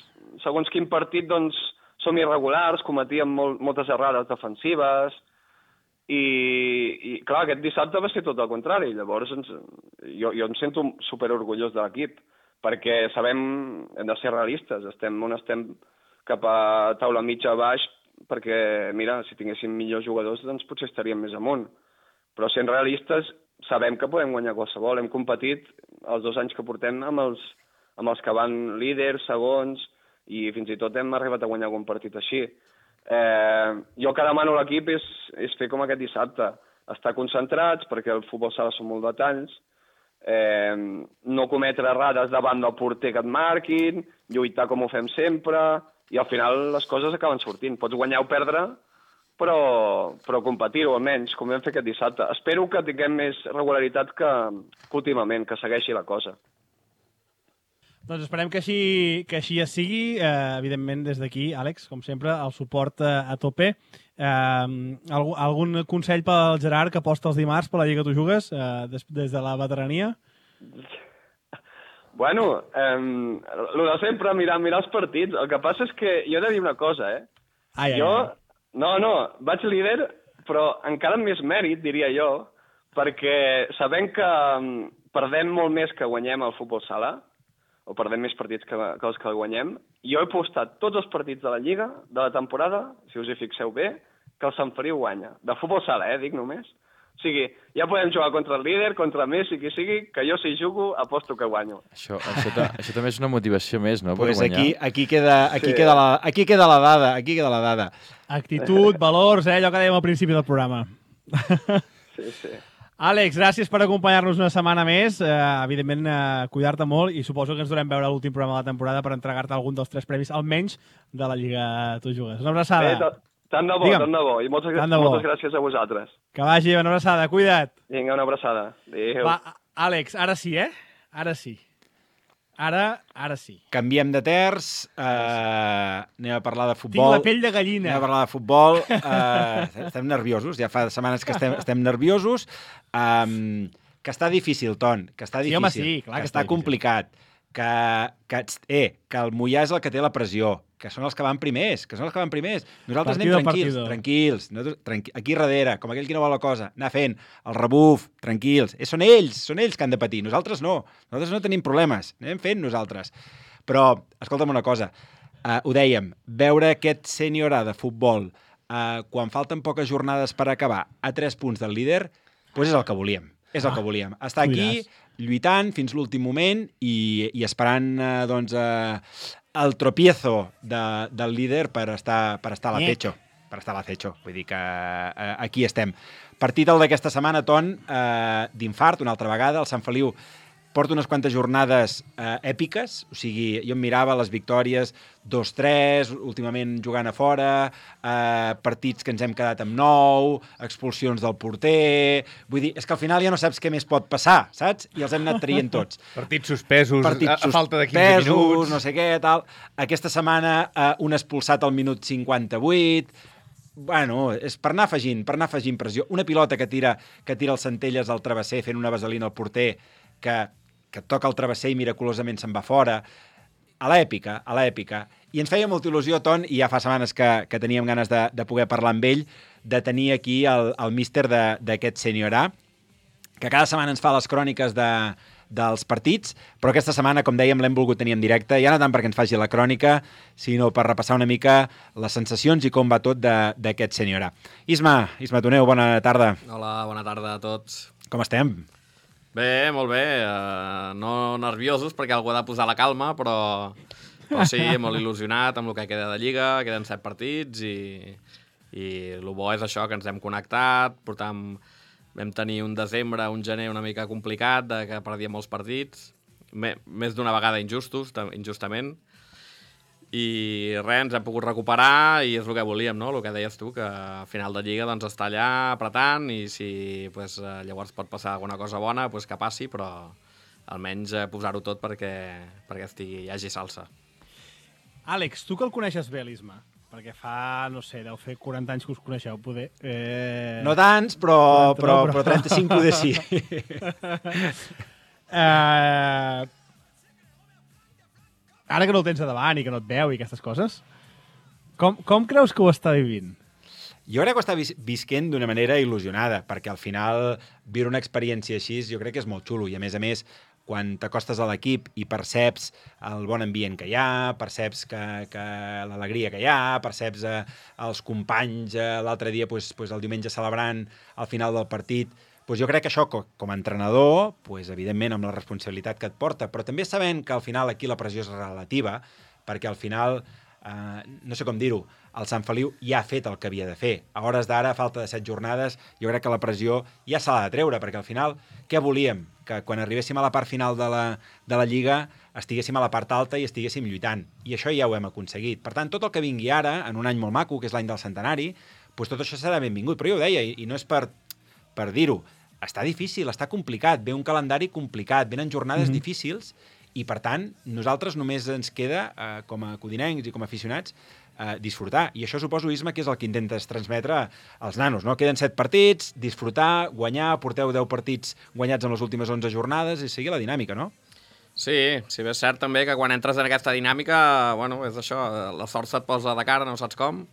[SPEAKER 9] segons quin partit doncs, som irregulars, cometíem molt, moltes errades defensives i, i clar, aquest dissabte va ser tot el contrari. Llavors ens, jo, jo em sento superorgullós de l'equip perquè sabem, hem de ser realistes, estem on estem cap a taula mitja a baix perquè, mira, si tinguéssim millors jugadors, doncs potser estaríem més amunt. Però sent realistes, sabem que podem guanyar qualsevol. Hem competit els dos anys que portem amb els, amb els que van líders, segons, i fins i tot hem arribat a guanyar algun partit així. Eh, jo que demano a l'equip és, és fer com aquest dissabte, estar concentrats, perquè el futbol sala són molt detalls, eh, no cometre errades davant del porter que et marquin, lluitar com ho fem sempre, i al final les coses acaben sortint. Pots guanyar o perdre, però, però competir-ho almenys, com vam fer aquest dissabte. Espero que tinguem més regularitat que, que últimament, que segueixi la cosa.
[SPEAKER 2] Doncs esperem que així, que així es sigui. Eh, evidentment, des d'aquí, Àlex, com sempre, el suport eh, a tope. Eh, algun, algun consell pel Gerard que aposta els dimarts per la Lliga Tu Jugues, eh, des, des de la veterania?
[SPEAKER 9] Bueno, eh, el de sempre, mirar, mirar els partits. El que passa és que jo he de dir una cosa, eh?
[SPEAKER 2] Ai, ai,
[SPEAKER 9] jo,
[SPEAKER 2] ai.
[SPEAKER 9] no, no, vaig líder, però encara amb més mèrit, diria jo, perquè sabem que perdem molt més que guanyem al futbol sala, o perdem més partits que, que els que guanyem. Jo he postat tots els partits de la Lliga, de la temporada, si us hi fixeu bé, que el Sant Feliu guanya. De futbol sala, eh, dic només. O sigui, ja podem jugar contra el líder, contra Messi, qui sigui, que jo si jugo aposto que guanyo.
[SPEAKER 5] Això, això, ta, això també és una motivació més, no?, per
[SPEAKER 3] pues
[SPEAKER 5] guanyar.
[SPEAKER 3] Aquí, aquí, queda, aquí,
[SPEAKER 9] Sí.
[SPEAKER 3] queda la, aquí queda la dada, aquí queda la dada.
[SPEAKER 2] Actitud, valors, eh, allò que dèiem al principi del programa.
[SPEAKER 9] Sí, sí.
[SPEAKER 2] Àlex, gràcies per acompanyar-nos una setmana més. Eh, evidentment, eh, cuidar-te molt i suposo que ens durem veure l'últim programa de la temporada per entregar-te algun dels tres premis, almenys, de la Lliga Tu Jugues. Una abraçada.
[SPEAKER 9] Bé, tant de bo,
[SPEAKER 2] Digue'm.
[SPEAKER 9] tant de bo. I moltes,
[SPEAKER 2] Tant de bo.
[SPEAKER 9] moltes gràcies a vosaltres.
[SPEAKER 2] Que vagi, una abraçada. Cuida't.
[SPEAKER 9] Vinga, una abraçada. Adéu.
[SPEAKER 2] Va, Àlex, ara sí, eh? Ara sí. Ara, ara sí.
[SPEAKER 3] Canviem de terç, eh, anem a parlar de
[SPEAKER 2] Tinc
[SPEAKER 3] futbol.
[SPEAKER 2] la pell de gallina.
[SPEAKER 3] Anem a parlar de futbol. Eh, estem nerviosos, ja fa setmanes que estem, estem nerviosos. Um, que està difícil, Ton, que està
[SPEAKER 2] Sí,
[SPEAKER 3] difícil.
[SPEAKER 2] home, sí, clar
[SPEAKER 3] que,
[SPEAKER 2] que
[SPEAKER 3] està
[SPEAKER 2] està difícil.
[SPEAKER 3] complicat. Que, que, eh, que el Mollà és el que té la pressió, que són els que van primers, que són els que van primers. Nosaltres
[SPEAKER 2] Partido
[SPEAKER 3] anem tranquils,
[SPEAKER 2] partido.
[SPEAKER 3] tranquils, nosaltres, tranqui aquí darrere, com aquell que no vol la cosa, anar fent el rebuf, tranquils. Eh, són ells, són ells que han de patir, nosaltres no. Nosaltres no tenim problemes, anem fent nosaltres. Però, escolta'm una cosa, uh, ho dèiem, veure aquest sènior A de futbol uh, quan falten poques jornades per acabar a tres punts del líder, doncs és el que volíem. És el
[SPEAKER 2] Ah,
[SPEAKER 3] que volíem. Estar
[SPEAKER 2] tu
[SPEAKER 3] aquí,
[SPEAKER 2] diràs.
[SPEAKER 3] lluitant fins l'últim moment i, i esperant eh, doncs, eh, el tropiezo de, del líder per estar, per estar a la
[SPEAKER 2] Nyec.
[SPEAKER 3] fecho. Per estar a la fecho. Vull dir que eh, aquí estem. Partit el d'aquesta setmana, Ton, eh, d'infart, una altra vegada. El Sant Feliu porta unes quantes jornades eh, èpiques, o sigui, jo em mirava les victòries dos tres, últimament jugant a fora, eh, partits que ens hem quedat amb nou, expulsions del porter... Vull dir, és que al final ja no saps què més pot passar, saps? I els hem anat traient tots.
[SPEAKER 4] Partits suspesos,
[SPEAKER 3] Partits
[SPEAKER 4] a, a falta de quinze
[SPEAKER 3] suspesos,
[SPEAKER 4] minuts.
[SPEAKER 3] no sé què, tal. Aquesta setmana eh, un expulsat al minut cinquanta-vuit... Bueno, és per anar afegint, per anar afegint pressió. Una pilota que tira, que tira el Centelles al travesser fent una vaselina al porter que, que toca el travesser i miraculosament se'n va fora. A l'èpica, a l'èpica. I ens feia molta il·lusió, Ton, i ja fa setmanes que, que teníem ganes de, de poder parlar amb ell, de tenir aquí el, el míster d'aquest sènior A, que cada setmana ens fa les cròniques de, dels partits, però aquesta setmana, com dèiem, l'hem volgut tenir en directe, ja no tant perquè ens faci la crònica, sinó per repassar una mica les sensacions i com va tot d'aquest sènior A. Isma, Isma Toneu, bona tarda.
[SPEAKER 10] Hola, bona tarda a tots.
[SPEAKER 3] Com estem?
[SPEAKER 10] Bé, molt bé. Uh, no nerviosos perquè algú ha de posar la calma, però, però sí, molt il·lusionat amb el que queda de Lliga, queden set partits i, i el bo és això, que ens hem connectat, portam, vam tenir un desembre, un gener una mica complicat, de que perdíem molts partits, me, més d'una vegada injustos, injustament, i res, ens hem pogut recuperar i és el que volíem, no? El que deies tu, que a final de Lliga doncs, està allà apretant i si pues, llavors pot passar alguna cosa bona, pues, que passi, però almenys eh, posar-ho tot perquè, perquè estigui, hi hagi salsa.
[SPEAKER 2] Àlex, tu que el coneixes bé, l'Isma, perquè fa, no sé, deu fer quaranta anys que us coneixeu, poder. Eh...
[SPEAKER 3] No tants, però,
[SPEAKER 2] quaranta,
[SPEAKER 3] però,
[SPEAKER 2] no, però...
[SPEAKER 3] però trenta-cinc poder sí.
[SPEAKER 2] eh... Ara que no el tens a davant i que no et veu i aquestes coses, com, com creus que ho està vivint?
[SPEAKER 3] Jo crec que ho està vis visquent d'una manera il·lusionada, perquè al final viure una experiència així jo crec que és molt xulo i a més a més quan t'acostes a l'equip i perceps el bon ambient que hi ha, perceps que, que l'alegria que hi ha, perceps eh, els companys eh, l'altre dia, pues, pues, el diumenge celebrant al final del partit, pues jo crec que això, com a entrenador, pues, evidentment amb la responsabilitat que et porta, però també sabent que al final aquí la pressió és relativa, perquè al final Uh, no sé com dir-ho, el Sant Feliu ja ha fet el que havia de fer. A hores d'ara, a falta de set jornades, jo crec que la pressió ja se l'ha de treure, perquè al final, què volíem? Que quan arribéssim a la part final de la, de la Lliga estiguéssim a la part alta i estiguéssim lluitant. I això ja ho hem aconseguit. Per tant, tot el que vingui ara, en un any molt maco, que és l'any del centenari, doncs tot això serà benvingut. Però jo ho deia, i, i no és per, per dir-ho, està difícil, està complicat, ve un calendari complicat, venen jornades mm-hmm. difícils, i, per tant, nosaltres només ens queda, eh, com a codinencs i com a aficionats, eh, disfrutar. I això suposo, Isma, que és el que intentes transmetre als nanos, no? Queden set partits, disfrutar, guanyar, porteu deu partits guanyats en les últimes onze jornades i seguir la dinàmica, no?
[SPEAKER 10] Sí, si bé és cert també que quan entres en aquesta dinàmica, bueno, és això, la sort se't posa de cara, no saps com,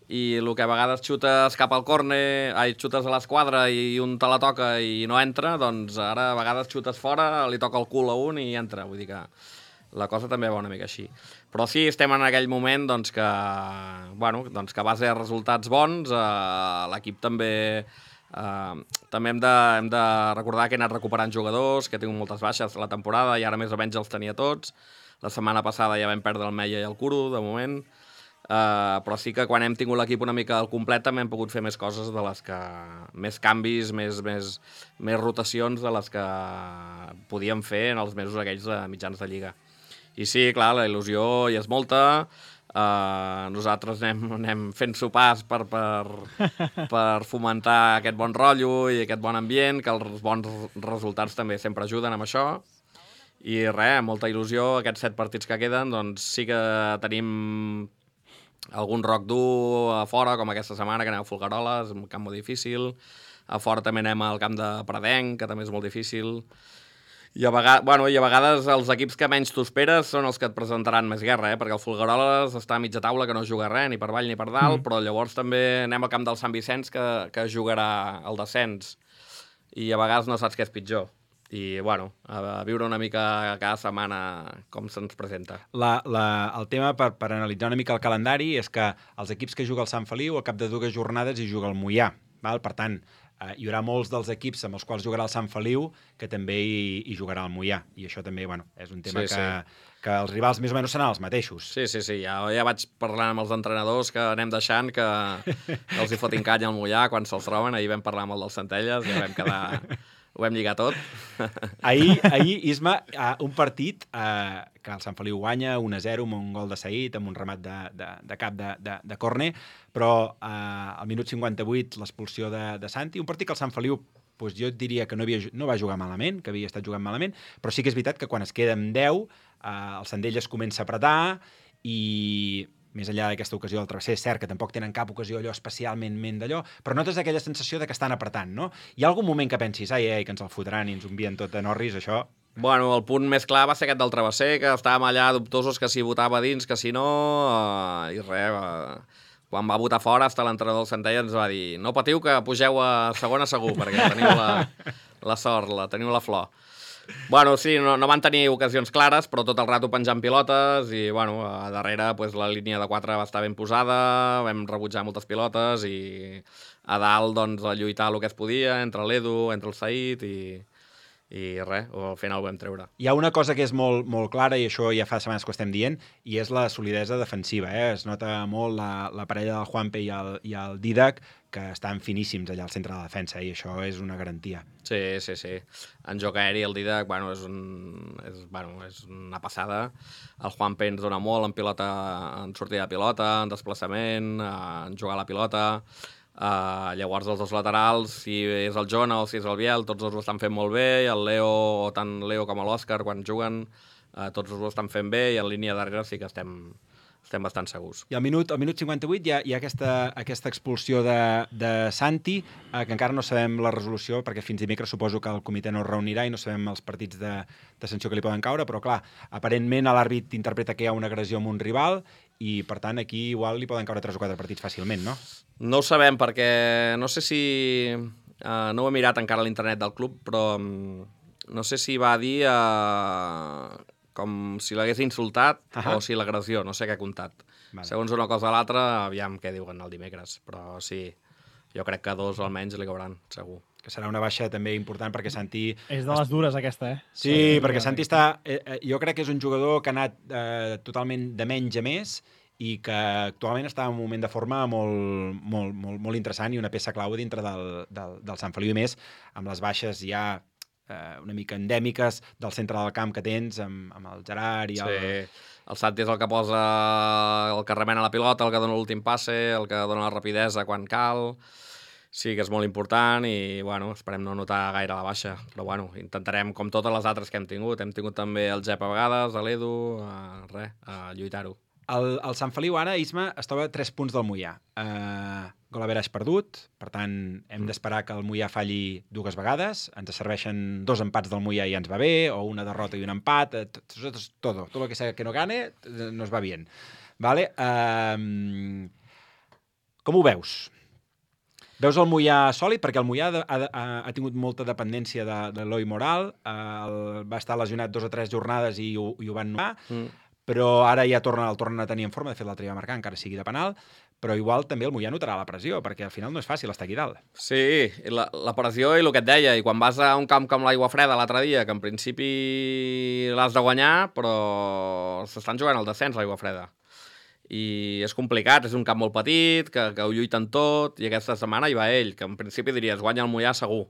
[SPEAKER 10] i el que a vegades xutes cap al córner, ai, xutes a l'esquadra i un te la toca i no entra, doncs ara a vegades xutes fora, li toca el cul a un i entra, vull dir que la cosa també va una mica així. Però sí, estem en aquell moment doncs, que, bueno, doncs, que a base de resultats bons, eh, l'equip també... Uh, també hem de, hem de recordar que he anat recuperant jugadors, que he tingut moltes baixes a la temporada i ara més o menys els tenia tots. La setmana passada ja vam perdre el Meia i el Curo, de moment. Uh, però sí que quan hem tingut l'equip una mica al complet també hem pogut fer més coses de les que... més canvis, més, més, més rotacions de les que podíem fer en els mesos aquells de mitjans de Lliga. I sí, clar, la il·lusió hi és molta. Uh, nosaltres anem, anem fent sopars per, per, per fomentar aquest bon rotllo i aquest bon ambient, que els bons resultats també sempre ajuden amb això. I res, molta il·lusió, aquests set partits que queden, doncs sí que tenim algun roc dur a fora, com aquesta setmana, que anem a Folgueroles, un camp molt difícil. A fora també anem al camp de Pradenc, que també és molt difícil. I a, vegades, bueno, I a vegades els equips que menys t'ho esperes són els que et presentaran més guerra, eh? Perquè el Folgueroles està a mitja taula, que no juga res, ni per avall ni per dalt, mm. però llavors també anem al camp del Sant Vicenç, que, que jugarà el descens, i a vegades no saps què és pitjor. I, bueno, a viure una mica cada setmana com se'ns presenta.
[SPEAKER 3] La, la, el tema, per, per analitzar una mica el calendari, és que els equips que juga el Sant Feliu, al cap de dues jornades hi juga el Moià, val? Per tant, Uh, hi haurà molts dels equips amb els quals jugarà el Sant Feliu que també hi, hi jugarà el Moià. I això també, bueno, és un tema sí, que, sí. que els rivals més o menys seran els mateixos.
[SPEAKER 10] Sí, sí, sí. Ja, ja vaig parlant amb els entrenadors que anem deixant que, que els hi fotin canya al Moià quan se'ls troben. Ahir vam parlar amb el del Centelles i ja vam quedar... Ho vam lligar tot.
[SPEAKER 3] Ahir, ahir Isma, uh, un partit uh, que el Sant Feliu guanya un a zero amb un gol de Saïd, amb un remat de, de, de cap de, de, de córner, però uh, al minut cinquanta-vuit l'expulsió de, de Santi, un partit que el Sant Feliu doncs jo diria que no, havia, no va jugar malament, que havia estat jugant malament, però sí que és veritat que quan es queda amb deu, uh, el Sandell es comença a apretar i... més enllà d'aquesta ocasió del travesser, és cert que tampoc tenen cap ocasió allò especialment ment d'allò, però notes aquella sensació de que estan apretant, no? Hi ha algun moment que pensis, ai, ai, que ens el fotran i ens envien tot a Norris, això...
[SPEAKER 10] Bueno, el punt més clar va ser aquest del travesser, que estàvem allà dubtosos que si votava dins, que si no... Uh, I res, uh, quan va votar fora, hasta l'entrenador del Centella ens va dir no patiu que pugeu a segona segur, perquè teniu la, la sort, la, teniu la flor. Bueno, sí, no, no van tenir ocasions clares, però tot el rato penjant pilotes i, bueno, a darrere pues, la línia de quatre va estar ben posada, vam rebutjar moltes pilotes i a dalt, doncs, a lluitar el que es podia entre l'Edu, entre el Saïd i, i res, al final ho vam treure.
[SPEAKER 3] Hi ha una cosa que és molt, molt clara, i això ja fa setmanes que ho estem dient, i és la solidesa defensiva. Eh? Es nota molt la, la parella del Juanpe i el, i el Didac, que estan finíssims allà al centre de la defensa, i això és una garantia.
[SPEAKER 10] Sí, sí, sí. En joc aeri el Didac, bueno, és, un, és, bueno, és una passada. El Juanpe ens dona molt en pilota, en sortida de pilota, en desplaçament, en jugar a la pilota. Uh, llavors els dos laterals, si és el Jona o si és el Biel, tots dos ho estan fent molt bé, i el Leo, o tant Leo com l'Òscar, quan juguen, uh, tots dos ho estan fent bé, i en línia darrere sí que estem... estem bastant segurs.
[SPEAKER 3] I al minut, al minut cinquanta-vuit hi ha, hi ha aquesta, aquesta expulsió de, de Santi, eh, que encara no sabem la resolució, perquè fins dimecres suposo que el comitè no es reunirà i no sabem els partits de, de sanció que li poden caure, però clar, aparentment l'àrbit interpreta que hi ha una agressió amb un rival i, per tant, aquí igual li poden caure tres o quatre partits fàcilment, no?
[SPEAKER 10] No ho sabem, perquè no sé si... Uh, no ho he mirat encara a l'internet del club, però um, no sé si va dir... Uh, com si l'hagués insultat uh-huh. o si l'agressió, no sé què ha comptat. Vale. Segons una cosa o l'altra, aviam què diuen el dimecres, però sí, jo crec que dos almenys li cauran, segur.
[SPEAKER 3] Que serà una baixa també important perquè Santi...
[SPEAKER 2] És de les dures aquesta, eh?
[SPEAKER 3] Sí, sí perquè Santi està... Eh, jo crec que és un jugador que ha anat eh, totalment de menys a més i que actualment està en un moment de forma molt, molt, molt, molt interessant i una peça clau dintre del, del, del Sant Feliu, i més amb les baixes ja eh, una mica endèmiques del centre del camp que tens, amb, amb el Gerard i el...
[SPEAKER 10] Sí, el Santi és el que posa el que remena la pilota, el que dona l'últim passe, el que dona la rapidesa quan cal. Sí que és molt important i, bueno, esperem no notar gaire la baixa. Però, bueno, intentarem, com totes les altres que hem tingut. Hem tingut també el Jep a vegades, a l'Edu, a, res, a lluitar-ho.
[SPEAKER 3] El, el Sant Feliu ara, Isma, es troba a tres punts del Moià. Uh, gol average perdut, per tant, hem d'esperar que el Moià falli dues vegades. Ens serveixen dos empats del Moià i ens va bé, o una derrota i un empat. Tot, todo, todo lo que sea que no gane nos va bien. Vale? Uh, com ho veus? Veus el Moià sòlid? Perquè el Moià ha, ha, ha tingut molta dependència de, de l'Eloi Moral, uh, va estar lesionat dos o tres jornades i ho, i ho van notar, mm. però ara ja torna, el tornen a tenir en forma, de fet l'altre dia va marcar, encara sigui de penal, però igual també el Moià notarà la pressió, perquè al final no és fàcil estar aquí dalt.
[SPEAKER 10] Sí, la, la pressió i el que et deia, i quan vas a un camp com l'Aigua Freda l'altre dia, que en principi l'has de guanyar, però s'estan jugant el descens a l'Aigua Freda. I és complicat, és un camp molt petit, que, que ho lluiten tot, i aquesta setmana hi va ell, que en principi diries guanya el Moià segur.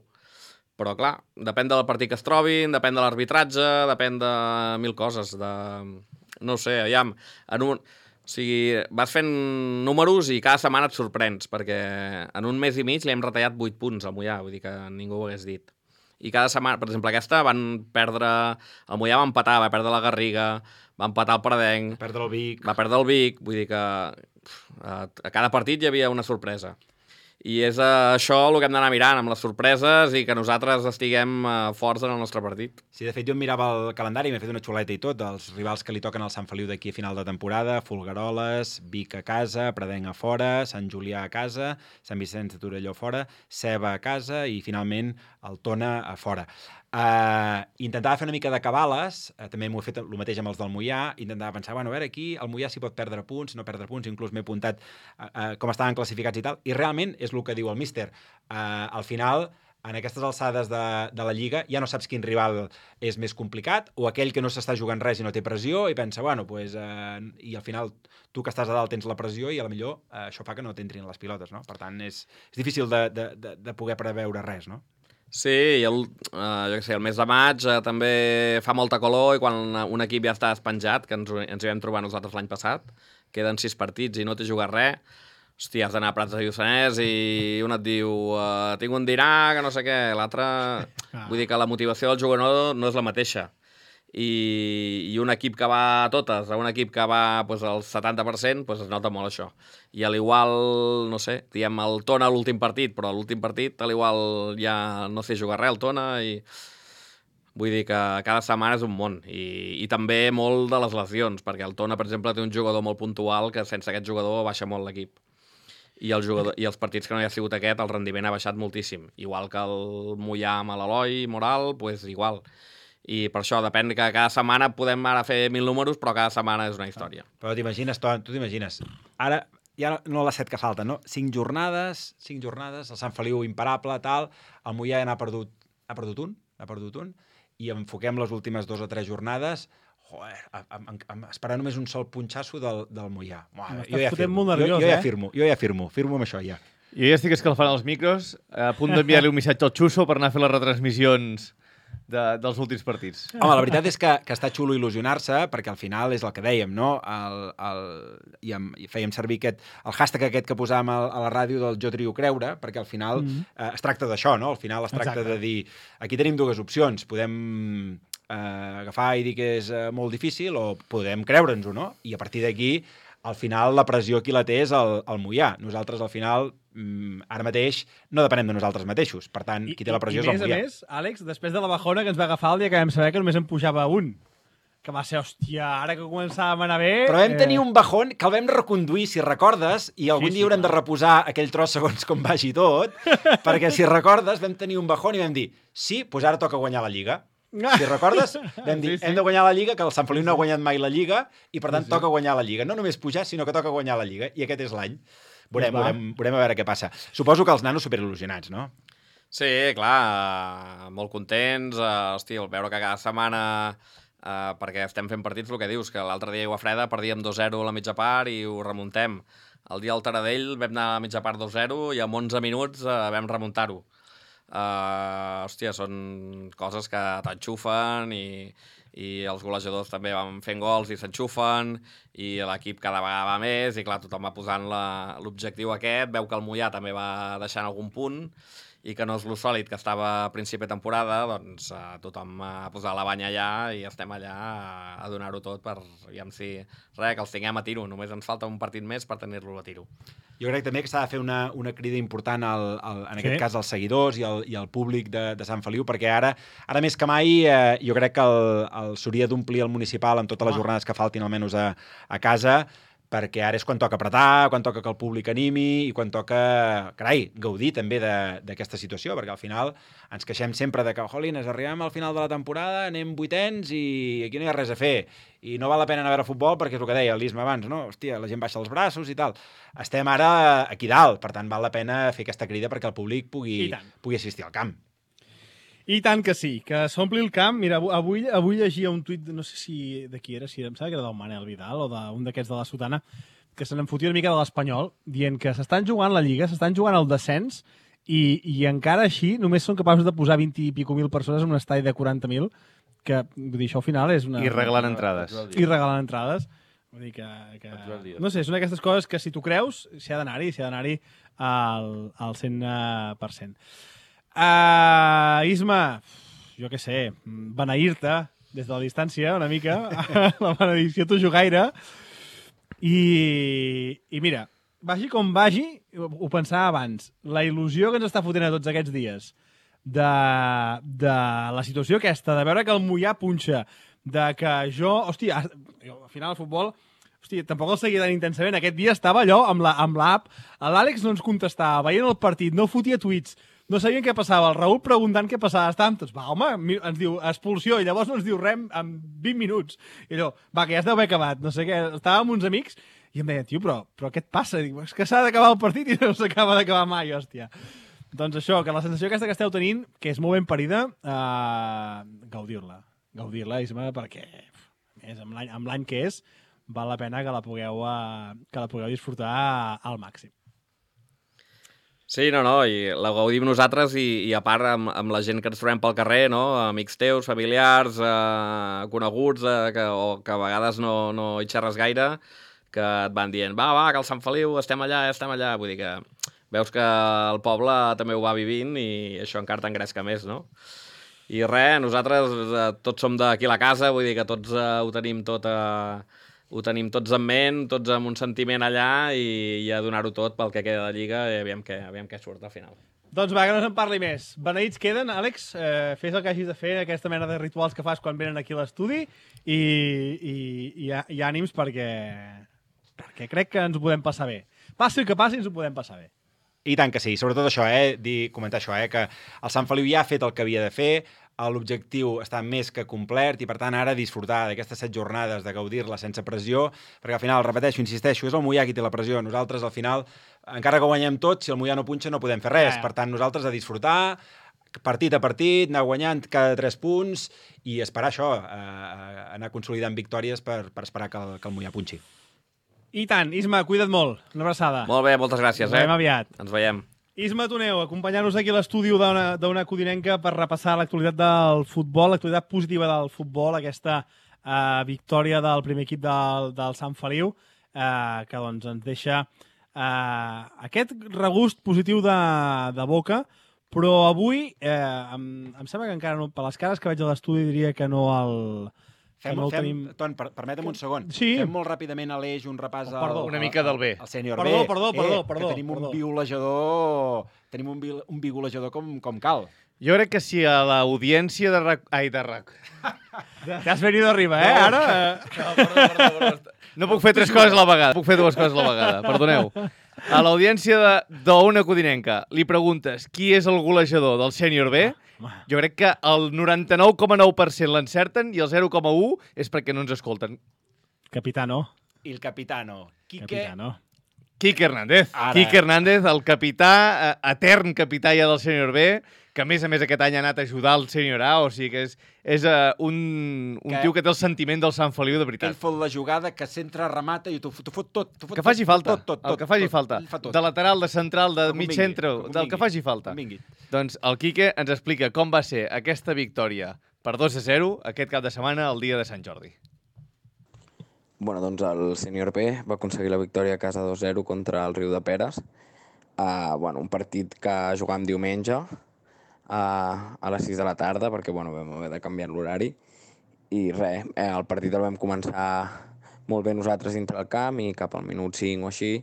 [SPEAKER 10] Però clar, depèn del partit que es trobin, depèn de l'arbitratge, depèn de mil coses, de... No sé, aviam, en un... O sigui, vas fent números i cada setmana et sorprens, perquè en un mes i mig li hem retallat vuit punts al Moià, vull dir que ningú ho hagués dit. I cada setmana, per exemple, aquesta van perdre... El Moià va empatar, va perdre la Garriga, va empatar el Pradenc...
[SPEAKER 3] Va perdre el Vic.
[SPEAKER 10] Va perdre el Vic, vull dir que a cada partit hi havia una sorpresa. I és això el que hem d'anar mirant, amb les sorpreses i que nosaltres estiguem forts en el nostre partit.
[SPEAKER 3] Sí, de fet, jo em mirava el calendari i m'he fet una xuleta i tot, dels rivals que li toquen al Sant Feliu d'aquí a final de temporada: Folgueroles, Vic a casa, Pradenc a fora, Sant Julià a casa, Sant Vicenç de Torelló a fora, Ceba a casa i, finalment, el Tona a fora. Uh, intentava fer una mica de cabales, uh, també m'ho he fet el mateix amb els del Moià, intentava pensar, bueno, a veure, aquí el Moià s'hi pot perdre punts, no perdre punts, inclús m'he apuntat uh, uh, com estaven classificats i tal, i realment és el que diu el míster. Uh, al final, en aquestes alçades de, de la Lliga, ja no saps quin rival és més complicat, o aquell que no s'està jugant res i no té pressió, i pensa, bueno, pues, uh, i al final tu que estàs a dalt tens la pressió i a la millor uh, això fa que no t'entrin les pilotes, no? Per tant, és, és difícil de, de, de, de poder preveure res, no?
[SPEAKER 10] Sí, i el, eh, jo què sé, el mes de maig eh, també fa molta calor i quan un equip ja està despenjat, que ens, ens hi vam trobar nosaltres l'any passat, queden sis partits i no t'hi jugat res, hòstia, has d'anar a Prats de Lluçanès i un et diu eh, tinc un dinar, que no sé què, l'altre... Vull dir que la motivació del jugador no és la mateixa. I, i un equip que va a totes, a un equip que va pues, al setanta per cent, pues, es nota molt això. I a l'igual, no sé, diem el Tona a l'últim partit, però a l'últim partit a l'igual ja no sé jugar res el Tona i vull dir que cada setmana és un món. I, i també molt de les lesions, perquè el Tona, per exemple, té un jugador molt puntual que sense aquest jugador baixa molt l'equip. I, el jugador, i els partits que no hi ha sigut aquest, el rendiment ha baixat moltíssim. Igual que el Moià amb l'Eloi Moral, pues igual. I per això depèn que cada setmana podem ara fer mil números, però cada setmana és una història.
[SPEAKER 3] Però t'imagines, tu t'imagines, ara ja no les set que falten, no? Cinc jornades, cinc jornades, el Sant Feliu imparable, tal, el Moià ja n'ha perdut, ha perdut un, ha perdut un, i enfoquem les últimes dos o tres jornades, joder, a, a, a, a esperar només un sol punxasso del, del Moià. Uah, jo ja firmo, nerviós, jo, jo ja firmo, jo ja firmo, firmo amb això ja.
[SPEAKER 4] Jo ja estic escalfant els micros, a punt d'enviar-li un missatge al Xuso per anar a fer les retransmissions de, dels últims partits.
[SPEAKER 3] Home, la veritat és que, que està xulo il·lusionar-se, perquè al final és el que dèiem, no? El, el, i, em, i fèiem servir aquest, el hashtag aquest que posàvem a, a la ràdio del Jo trio creure, perquè al final mm-hmm. eh, es tracta d'això, no? Al final es tracta Exacte. de dir, aquí tenim dues opcions, podem eh, agafar i dir que és eh, molt difícil o podem creure'ns-ho, no? I a partir d'aquí, al final, la pressió qui la té és el, el Moià. Nosaltres, al final, ara mateix no depenem de nosaltres mateixos. Per tant, qui té la pressió és el Moià.
[SPEAKER 2] I més a més, Àlex, després de la bajona que ens va agafar el dia que vam saber que només en pujava un, que va ser, hòstia, ara que començàvem a anar bé...
[SPEAKER 3] Però vam eh... tenir un bajón que el vam reconduir, si recordes, i algun sí, dia sí, haurem clar. de reposar aquell tros segons com vagi tot, perquè, si recordes, vam tenir un bajón i vam dir, sí, doncs ara toca guanyar la Lliga. Si recordes, vam dir, sí, sí. hem de guanyar la Lliga, que el Sant Feliu no ha guanyat mai la Lliga, i per tant sí, sí. toca guanyar la Lliga. No només pujar, sinó que toca guanyar la Lliga, i aquest és l'any. Veurem, veurem, veurem a veure què passa. Suposo que els nanos superil·lusionats, no?
[SPEAKER 10] Sí, clar, molt contents. Uh, hosti, el veure que cada setmana uh, perquè estem fent partits, el que dius, que l'altre dia a Aigua Freda perdíem dos zero a la mitja part i ho remuntem. El dia al Taradell vam anar a la mitja part dos zero i en onze minuts uh, vam remuntar-ho. Uh, hòstia, són coses que t'enxufen i, i els golejadors també van fent gols i s'enxufen i l'equip cada vegada va més i clar, tothom va posant l'objectiu aquest, veu que el Moià també va deixant algun punt i que no és lo sòlid que estava a principi de temporada, doncs uh, tothom ha posat la banya allà i estem allà a, a donar-ho tot per, aviam si, res, que els tinguem a tiro, només ens falta un partit més per tenir-lo a tiro.
[SPEAKER 3] Jo crec també que s'ha de fer una, una crida important al, al, en aquest
[SPEAKER 2] Sí.
[SPEAKER 3] cas als seguidors i al, i al públic de, de Sant Feliu, perquè ara ara més que mai eh, jo crec que el, el s'hauria d'omplir el municipal amb totes les jornades que faltin almenys a, a casa, perquè ara és quan toca apretar, quan toca que el públic animi i quan toca, carai, gaudir també d'aquesta situació, perquè al final ens queixem sempre de que, jolines, arribem al final de la temporada, anem vuitens i aquí no hi ha res a fer. I no val la pena anar a veure futbol perquè és el que deia l'Isma abans, no? Hòstia, la gent baixa els braços i tal. Estem ara aquí dalt, per tant val la pena fer aquesta crida perquè el públic pugui, pugui assistir al camp.
[SPEAKER 2] I tant que sí, que s'ompli el camp. Mira, avui, avui llegia un tuit, no sé si de qui era, si em sembla que era del Manel Vidal o d'un d'aquests de la Sotana, que se n'enfotia una mica de l'Espanyol, dient que s'estan jugant la Lliga, s'estan jugant el descens, i, i encara així només són capaços de posar vint i pico mil persones en un estadi de quaranta mil, que, vull dir, això al final és una...
[SPEAKER 4] I regalant entrades.
[SPEAKER 2] I regalant entrades. Vull dir que... que... No sé, són aquestes coses que si tu creus, s'hi ha d'anar-hi, s'hi ha d'anar-hi al, al cent per cent. Uh, Isma, jo què sé, beneir-te des de la distància una mica, la benedicció t'ho jugaire, i, i mira, vagi com vagi, ho pensava abans, la il·lusió que ens està fotent a tots aquests dies de, de la situació aquesta, de veure que el Moià punxa, de que jo, hòstia, al final el futbol, hòstia, tampoc el seguia tan intensament, aquest dia estava allò amb l'app, l'Àlex no ens contestava, veient el partit, no fotia tuits, no sabien què passava, el Raül preguntant què passava, estàvem tots, va, home, ens diu expulsió, i llavors no ens diu res en vint minuts. I allò, va, que ja es deu haver acabat, no sé què, estàvem amb uns amics, i em deien, tio, però, però què et passa? Dic, és que s'ha d'acabar el partit i no s'acaba d'acabar mai, hòstia. Doncs això, que la sensació aquesta que esteu tenint, que és molt ben parida, eh, gaudir-la, gaudir-la, Isma, perquè, més, amb l'any que és, val la pena que la pugueu, uh, que la pugueu disfrutar al màxim.
[SPEAKER 10] Sí, no, no, i la gaudim nosaltres i, i a part amb, amb la gent que ens trobem pel carrer, no? Amics teus, familiars, eh, coneguts, eh, que, o que a vegades no, no hi xerres gaire, que et van dient, va, va, que al Sant Feliu estem allà, estem allà. Vull dir que veus que el poble també ho va vivint i això encara t'engresca més, no? I res, nosaltres eh, tots som d'aquí a la casa, vull dir que tots eh, ho tenim tot a... Eh, ho tenim tots en ment, tots amb un sentiment allà i, i a donar-ho tot pel que queda de Lliga i aviam què, aviam què surt al final.
[SPEAKER 2] Doncs va, que no se'n parli més. Beneïts queden, Àlex, eh, fes el que hagis de fer, aquesta mena de rituals que fas quan venen aquí a l'estudi i, i, i, i ànims perquè, perquè crec que ens ho podem passar bé. Passi el que passi, ens ho podem passar bé.
[SPEAKER 3] I tant que sí, sobretot això, eh? Dir, comentar això, eh? Que el Sant Feliu ja ha fet el que havia de fer, l'objectiu està més que complert i, per tant, ara disfrutar d'aquestes set jornades, de gaudir-la sense pressió, perquè al final, repeteixo, insisteixo, és el Moià qui té la pressió. Nosaltres, al final, encara que guanyem tot, si el Moià no punxa no podem fer res. Per tant, nosaltres a disfrutar, partit a partit, anar guanyant cada tres punts i esperar això, eh, anar consolidant victòries per, per esperar que el, que el Moià punxi.
[SPEAKER 2] I tant, Isma, cuida't molt. Una abraçada.
[SPEAKER 10] Molt bé, moltes gràcies.
[SPEAKER 2] Ens veiem eh? aviat.
[SPEAKER 10] Ens veiem.
[SPEAKER 2] Isma Toneu, acompanyant-nos aquí a l'estudi d'una codinenca per repassar l'actualitat del futbol, l'actualitat positiva del futbol, aquesta eh, victòria del primer equip del, del Sant Feliu, eh, que doncs, ens deixa eh, aquest regust positiu de, de boca, però avui eh, em, em sembla que encara no, per les cares que veig a l'estudi diria que no el...
[SPEAKER 3] Fem,
[SPEAKER 2] no
[SPEAKER 3] fem,
[SPEAKER 2] tenim...
[SPEAKER 3] Ton, per, permetem un segon.
[SPEAKER 2] Sí.
[SPEAKER 3] Fem molt ràpidament a l'eix un repàs al,
[SPEAKER 2] Perdó,
[SPEAKER 4] una mica del B.
[SPEAKER 3] al sènior
[SPEAKER 2] perdó,
[SPEAKER 3] B.
[SPEAKER 2] Perdó, perdó,
[SPEAKER 3] eh,
[SPEAKER 2] perdó.
[SPEAKER 3] Que tenim un biolejador, tenim un, bi, un biolejador com, com cal.
[SPEAKER 4] Jo crec que si a l'audiència de RAC... Ai, de RAC.
[SPEAKER 2] T'has venido arriba, eh? Ara...
[SPEAKER 4] No, perdó, perdó, perdó. No puc fer tres coses a la vegada. Puc fer dues coses a la vegada, perdoneu. A l'audiència d'Ona Codinenca li preguntes qui és el golejador del sènior B, jo crec que el noranta-nou coma nou per cent l'encerten i el zero coma u és perquè no ens escolten.
[SPEAKER 2] Capitano.
[SPEAKER 3] Il capitano. Quique...
[SPEAKER 2] Capitano.
[SPEAKER 4] Quique Hernández.
[SPEAKER 3] Ara.
[SPEAKER 4] Quique Hernández, el capità, eh, etern capità ja del sènior B, que a més a més aquest any ha anat a ajudar el sènior A, o sigui que és, és uh, un, un
[SPEAKER 3] que,
[SPEAKER 4] tio que té el sentiment del Sant Feliu de veritat.
[SPEAKER 3] Ell fot la jugada, que centra, remata i t'ho fot tot. Fot
[SPEAKER 4] que faci
[SPEAKER 3] tot,
[SPEAKER 4] falta,
[SPEAKER 3] tot, tot,
[SPEAKER 4] el que faci
[SPEAKER 3] tot,
[SPEAKER 4] falta.
[SPEAKER 3] tot,
[SPEAKER 4] De lateral, de central, de mig
[SPEAKER 3] vingui,
[SPEAKER 4] centre, del que faci falta. Doncs el Quique ens explica com va ser aquesta victòria per dos a zero aquest cap de setmana, el dia de Sant Jordi.
[SPEAKER 11] Bueno, doncs el sènior B va aconseguir la victòria a casa dos zero contra el Riu de Peres. Uh, bueno, un partit que jugàvem diumenge uh, a les sis de la tarda, perquè bueno, vam haver de canviar l'horari. I res, eh, el partit el vam començar molt bé nosaltres dintre el camp i cap al minut cinc o així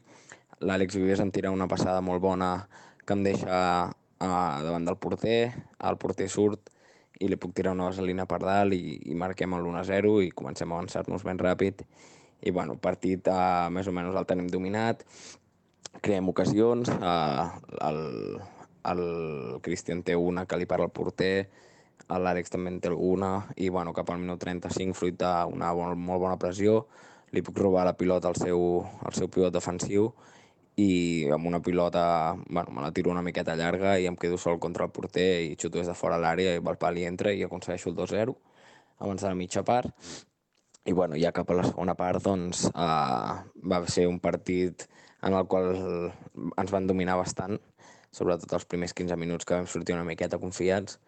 [SPEAKER 11] l'Àlex Vives em tira una passada molt bona que em deixa uh, davant del porter, el porter surt i li puc tirar una vaselina per dalt i, i marquem l'u a zero i comencem a avançar-nos ben ràpid. I bueno, el partit eh, més o menys el tenim dominat, creem ocasions, eh, el, el Cristian té una que li parla al porter, l'Àlex també en té alguna, i bueno, cap al minut trenta-cinc, fruit d'una bon, molt bona pressió, li puc robar la pilota al seu, al seu pivot defensiu i amb una pilota, bueno, me la tiro una miqueta llarga i em quedo sol contra el porter i xuto des de fora l'àrea i el pal hi entra i aconsegueixo el dos zero abans de la mitja part. I bueno, ja cap a la segona part, doncs, eh, va ser un partit en el qual ens van dominar bastant, sobretot els primers quinze minuts que vam sortir una miqueta confiats,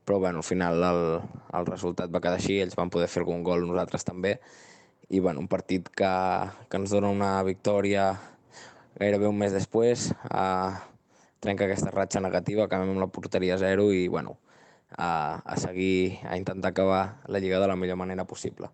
[SPEAKER 11] però bueno, al final el, el resultat va quedar així, ells van poder fer algun gol, nosaltres també, i bueno, un partit que, que ens dona una victòria gairebé un mes després, uh, trenca aquesta ratxa negativa, acabem amb la porteria zero i bueno, uh, a seguir, a intentar acabar la Lliga de la millor manera possible.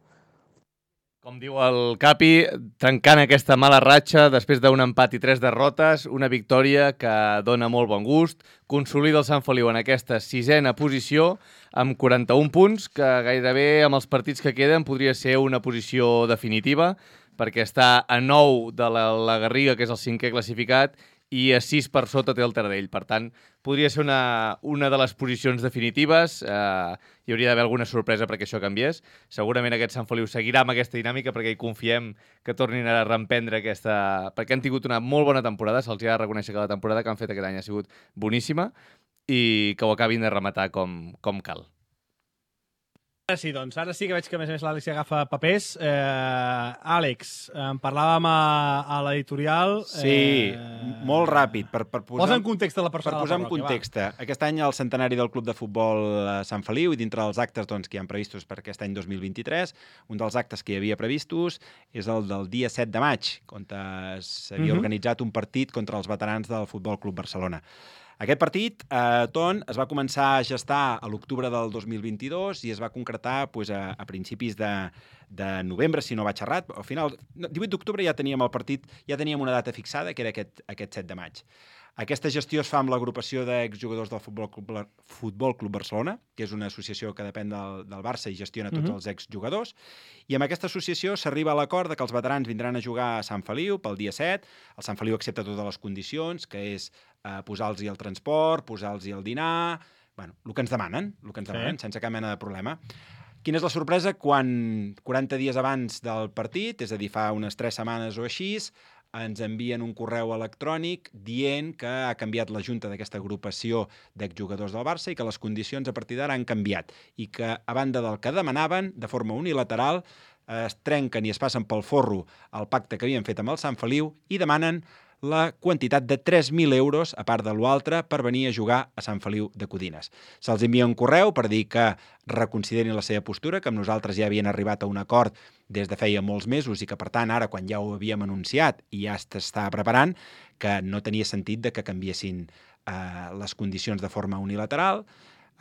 [SPEAKER 4] Com diu el Capi, trencant aquesta mala ratxa després d'un empat i tres derrotes, una victòria que dona molt bon gust, consolida el Sant Feliu en aquesta sisena posició amb quaranta-un punts, que gairebé amb els partits que queden podria ser una posició definitiva, perquè està a nou de la, la Garriga, que és el cinquè classificat, i a sis per sota té el Taradell. Per tant, podria ser una, una de les posicions definitives. Eh, hi hauria d'haver alguna sorpresa perquè això canviés. Segurament aquest Sant Feliu seguirà amb aquesta dinàmica perquè hi confiem que tornin a reemprendre aquesta... perquè han tingut una molt bona temporada, se'ls ha de reconèixer que la temporada que han fet aquest any ha sigut boníssima i que ho acabin de rematar com, com cal.
[SPEAKER 2] Ara sí, doncs. Ara sí que veig que, a més a més, l'Àlex agafa papers. Eh, Àlex, en parlàvem a, a l'editorial...
[SPEAKER 3] Sí,
[SPEAKER 2] eh,
[SPEAKER 3] molt ràpid. Per, per posar,
[SPEAKER 2] posa en context la persona.
[SPEAKER 3] Per posar en context, va. Aquest any el centenari del Club de Futbol Sant Feliu i dintre dels actes doncs, que hi ha previstos per aquest any dos mil vint-i-tres, un dels actes que hi havia previstos és el del dia set de maig, on s'havia uh-huh. organitzat un partit contra els veterans del Futbol Club Barcelona. Aquest partit, eh, Ton, es va començar a gestar a l'octubre del dos mil vint-i-dos i es va concretar pues, a, a principis de, de novembre, si no vaig errat. Al final, divuit d'octubre ja teníem el partit, ja teníem una data fixada, que era aquest, aquest set de maig. Aquesta gestió es fa amb l'agrupació d'exjugadors del Futbol Club, Futbol Club Barcelona, que és una associació que depèn del, del Barça i gestiona tots uh-huh. els exjugadors, i amb aquesta associació s'arriba a l'acord que els veterans vindran a jugar a Sant Feliu pel dia set. El Sant Feliu accepta totes les condicions, que és eh, posar-los el transport, posar-los el dinar... Bueno, el que ens demanen, el que ens demanen, sí. sense cap mena de problema. Quina és la sorpresa? Quan quaranta dies abans del partit, és a dir, fa unes tres setmanes o així, ens envien un correu electrònic dient que ha canviat la junta d'aquesta agrupació d'exjugadors del Barça i que les condicions a partir d'ara han canviat i que, a banda del que demanaven, de forma unilateral, es trenquen i es passen pel forro el pacte que havien fet amb el Sant Feliu i demanen la quantitat de tres mil euros, a part de l'altre, per venir a jugar a Sant Feliu de Codines. Se'ls envia un correu per dir que reconsiderin la seva postura, que amb nosaltres ja havien arribat a un acord des de feia molts mesos i que, per tant, ara, quan ja ho havíem anunciat i ja s'estava preparant, que no tenia sentit de que canviessin eh, les condicions de forma unilateral.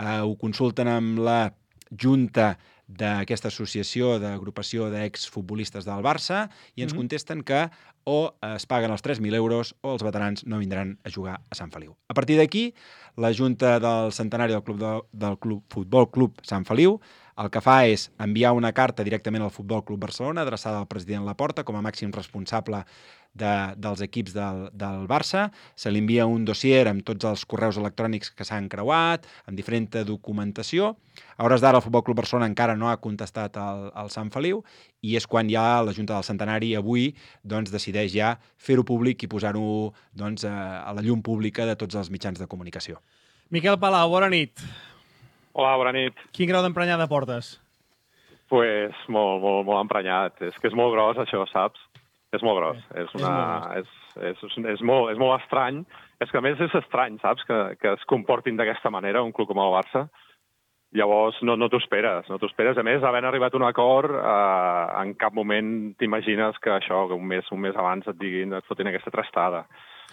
[SPEAKER 3] Eh, ho consulten amb la junta d'aquesta associació d'agrupació d'exfutbolistes del Barça i ens mm-hmm. contesten que o es paguen els tres mil euros o els veterans no vindran a jugar a Sant Feliu. A partir d'aquí, la Junta del Centenari del, Club de, del Club, Futbol Club Sant Feliu el que fa és enviar una carta directament al Futbol Club Barcelona adreçada al president Laporta com a màxim responsable de, dels equips del, del Barça, se li envia un dossier amb tots els correus electrònics que s'han creuat, amb diferent documentació. A hores d'ara el Futbol Club Barcelona encara no ha contestat al, al Sant Feliu i és quan ja la Junta del Centenari avui doncs, decideix ja fer-ho públic i posar-ho doncs, a, a la llum pública de tots els mitjans de comunicació.
[SPEAKER 2] Miquel Palau, bona nit.
[SPEAKER 12] Hola, bona nit.
[SPEAKER 2] Quin grau d'emprenyada portes?
[SPEAKER 12] Pues molt, molt, molt emprenyat. És que és molt gros, això, saps? És molt gros.
[SPEAKER 2] Eh,
[SPEAKER 12] és, una, és, és, és, és, molt, és molt estrany. És que a més és estrany, saps? Que, que es comportin d'aquesta manera un club com el Barça. Llavors no, no t'ho esperes, no t'ho esperes. A més, havent arribat a un acord, eh, en cap moment t'imagines que això, que un mes, un mes abans et diguin, et fotin aquesta trastada.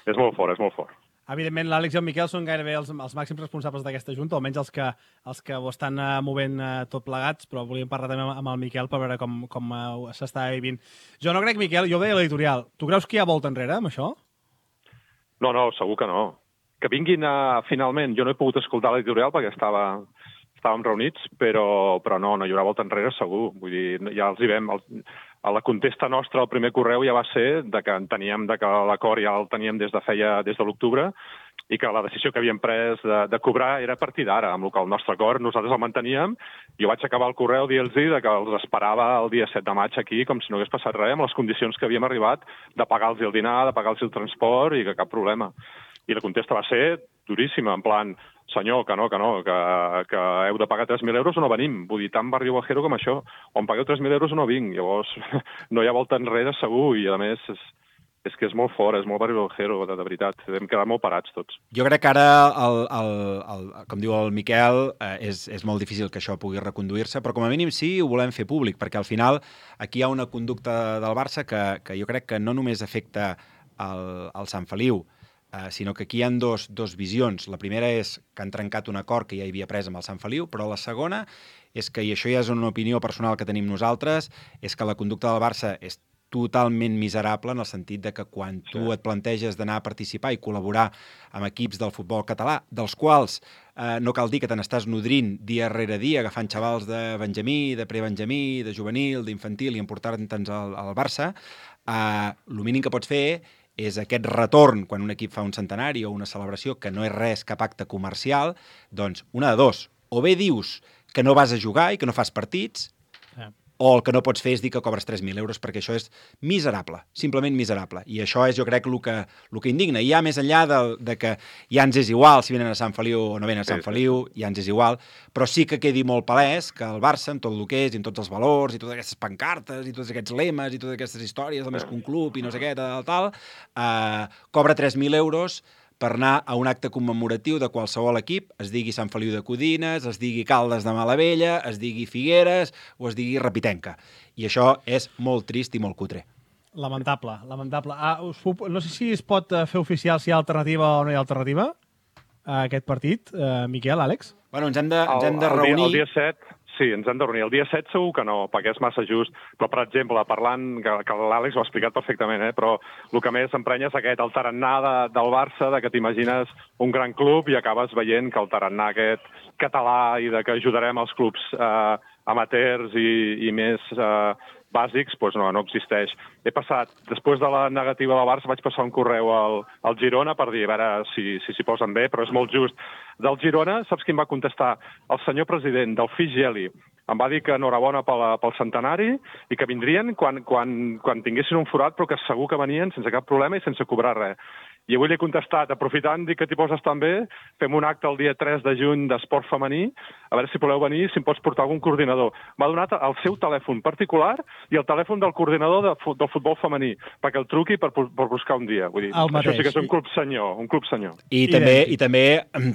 [SPEAKER 12] És molt fort, és molt fort.
[SPEAKER 2] Evidentment, l'Àlex i el Miquel són gairebé els, els màxims responsables d'aquesta junta, almenys els que, els que ho estan uh, movent uh, tot plegats, però volíem parlar també amb, amb el Miquel per veure com, com uh, s'està vivint. Jo no crec, Miquel, jo ho deia a l'editorial. Tu creus que hi ha volta enrere amb això?
[SPEAKER 12] No, no, segur que no. Que vinguin a, finalment, jo no he pogut escoltar l'editorial perquè estava, estàvem reunits, però, però no, no hi haurà volta enrere segur. Vull dir, ja els hi vam... Els, a la contesta nostra, el primer correu ja va ser de que enteníem de que l'acord ja el teníem des de feia des de l'octubre i que la decisió que havíem pres de, de cobrar era a partir d'ara, amb el que el nostre acord nosaltres el manteníem. Jo vaig acabar el correu dient-los que els esperava el dia set de maig aquí com si no hagués passat res, amb les condicions que havíem arribat de pagar-los el dinar, de pagar-los el transport i que cap problema. I la contesta va ser duríssima, en plan, senyor, que no, que no, que, que heu de pagar tres mil euros o no venim. Vull dir, tan barrio bajero com això. O em pagueu tres mil euros o no vinc. Llavors, no hi ha volta enrere segur i, a més, és, és que és molt fort, és molt barrio bajero, de, de veritat. Hem quedat molt parats tots.
[SPEAKER 3] Jo crec que ara, el, el, el, com diu el Miquel, eh, és, és molt difícil que això pugui reconduir-se, però com a mínim sí ho volem fer públic, perquè al final aquí hi ha una conducta del Barça que, que jo crec que no només afecta el, el Sant Feliu, Uh, sinó que aquí hi ha dos, dos visions. La primera és que han trencat un acord que ja hi havia pres amb el Sant Feliu, però la segona és que, i això ja és una opinió personal que tenim nosaltres, és que la conducta del Barça és totalment miserable en el sentit de que quan tu sí. et planteges d'anar a participar i col·laborar amb equips del futbol català, dels quals eh, no cal dir que te n'estàs nodrint dia rere dia, agafant xavals de Benjamí, de prebenjamí, de juvenil, d'infantil i emportant-te'ns al, al Barça, eh, el mínim que pots fer és aquest retorn, quan un equip fa un centenari o una celebració, que no és res cap acte comercial, doncs una de dos. O bé dius que no vas a jugar i que no fas partits, eh. o el que no pots fer és dir que cobres tres mil euros, perquè això és miserable, simplement miserable. I això és, jo crec, el que, el que indigna. I ja més enllà de, de que ja ens és igual si venen a Sant Feliu o no venen a Sant Feliu, ja ens és igual, però sí que quedi molt palès que el Barça, amb tot el que és, i amb tots els valors, i totes aquestes pancartes, i tots aquests lemes, i totes aquestes històries, del més que un club, i no sé què, tal, tal, eh, cobra tres mil euros per anar a un acte commemoratiu de qualsevol equip, es digui Sant Feliu de Codines, es digui Caldes de Malavella, es digui Figueres o es digui Repitenca. I això és molt trist i molt cutre.
[SPEAKER 2] Lamentable, lamentable. Ah, us puc, no sé si es pot fer oficial si hi ha alternativa o no hi ha alternativa a aquest partit. Uh, Miquel, Àlex?
[SPEAKER 3] Bueno, ens hem de, ens hem de
[SPEAKER 12] el,
[SPEAKER 3] reunir...
[SPEAKER 12] El dia, el dia set, sí, ens hem de reunir. El dia set segur que no, perquè és massa just. Però, per exemple, parlant, que, que l'Àlex ho ha explicat perfectament, eh, però el que més s'emprenya és aquest, el tarannà de, del Barça, de que t'imagines un gran club i acabes veient que el tarannà aquest català i de que ajudarem els clubs eh, amateurs i, i més eh, bàsics, doncs no, no existeix. He passat, després de la negativa del Barça, vaig passar un correu al, al Girona per dir, a veure si s'hi si, si posen bé, però és molt just. Del Girona, saps qui em va contestar? El senyor president del Figeli. Em va dir que enhorabona pel, pel centenari i que vindrien quan, quan, quan tinguessin un forat, però que segur que venien sense cap problema i sense cobrar res. I avui li he contestat, aprofitant, dic que t'hi poses tan bé, fem un acte el dia tres de juny d'esport femení, a veure si voleu venir, si em pots portar algun coordinador. M'ha donat el seu telèfon particular i el telèfon del coordinador de, del futbol femení, perquè el truqui per, per buscar un dia. Vull dir, això sí que és un club senyor, un club senyor.
[SPEAKER 3] I, I també, i també,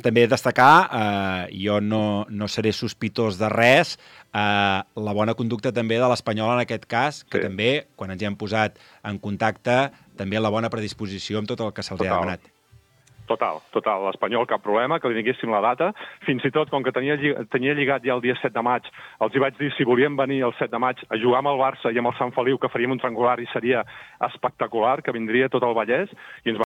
[SPEAKER 3] també destacar, eh, jo no, no seré sospitós de res, Uh, la bona conducta també de l'Espanyol en aquest cas, que sí. també, quan ens hi hem posat en contacte, també la bona predisposició amb tot el que se'ls ha demanat.
[SPEAKER 12] Total, total. L'Espanyol, cap problema, que li diguéssim la data. Fins i tot, com que tenia, tenia lligat ja el dia set de maig, els hi vaig dir si volien venir el set de maig a jugar amb el Barça i amb el Sant Feliu, que faríem un triangular i seria espectacular, que vindria tot el Vallès, i ens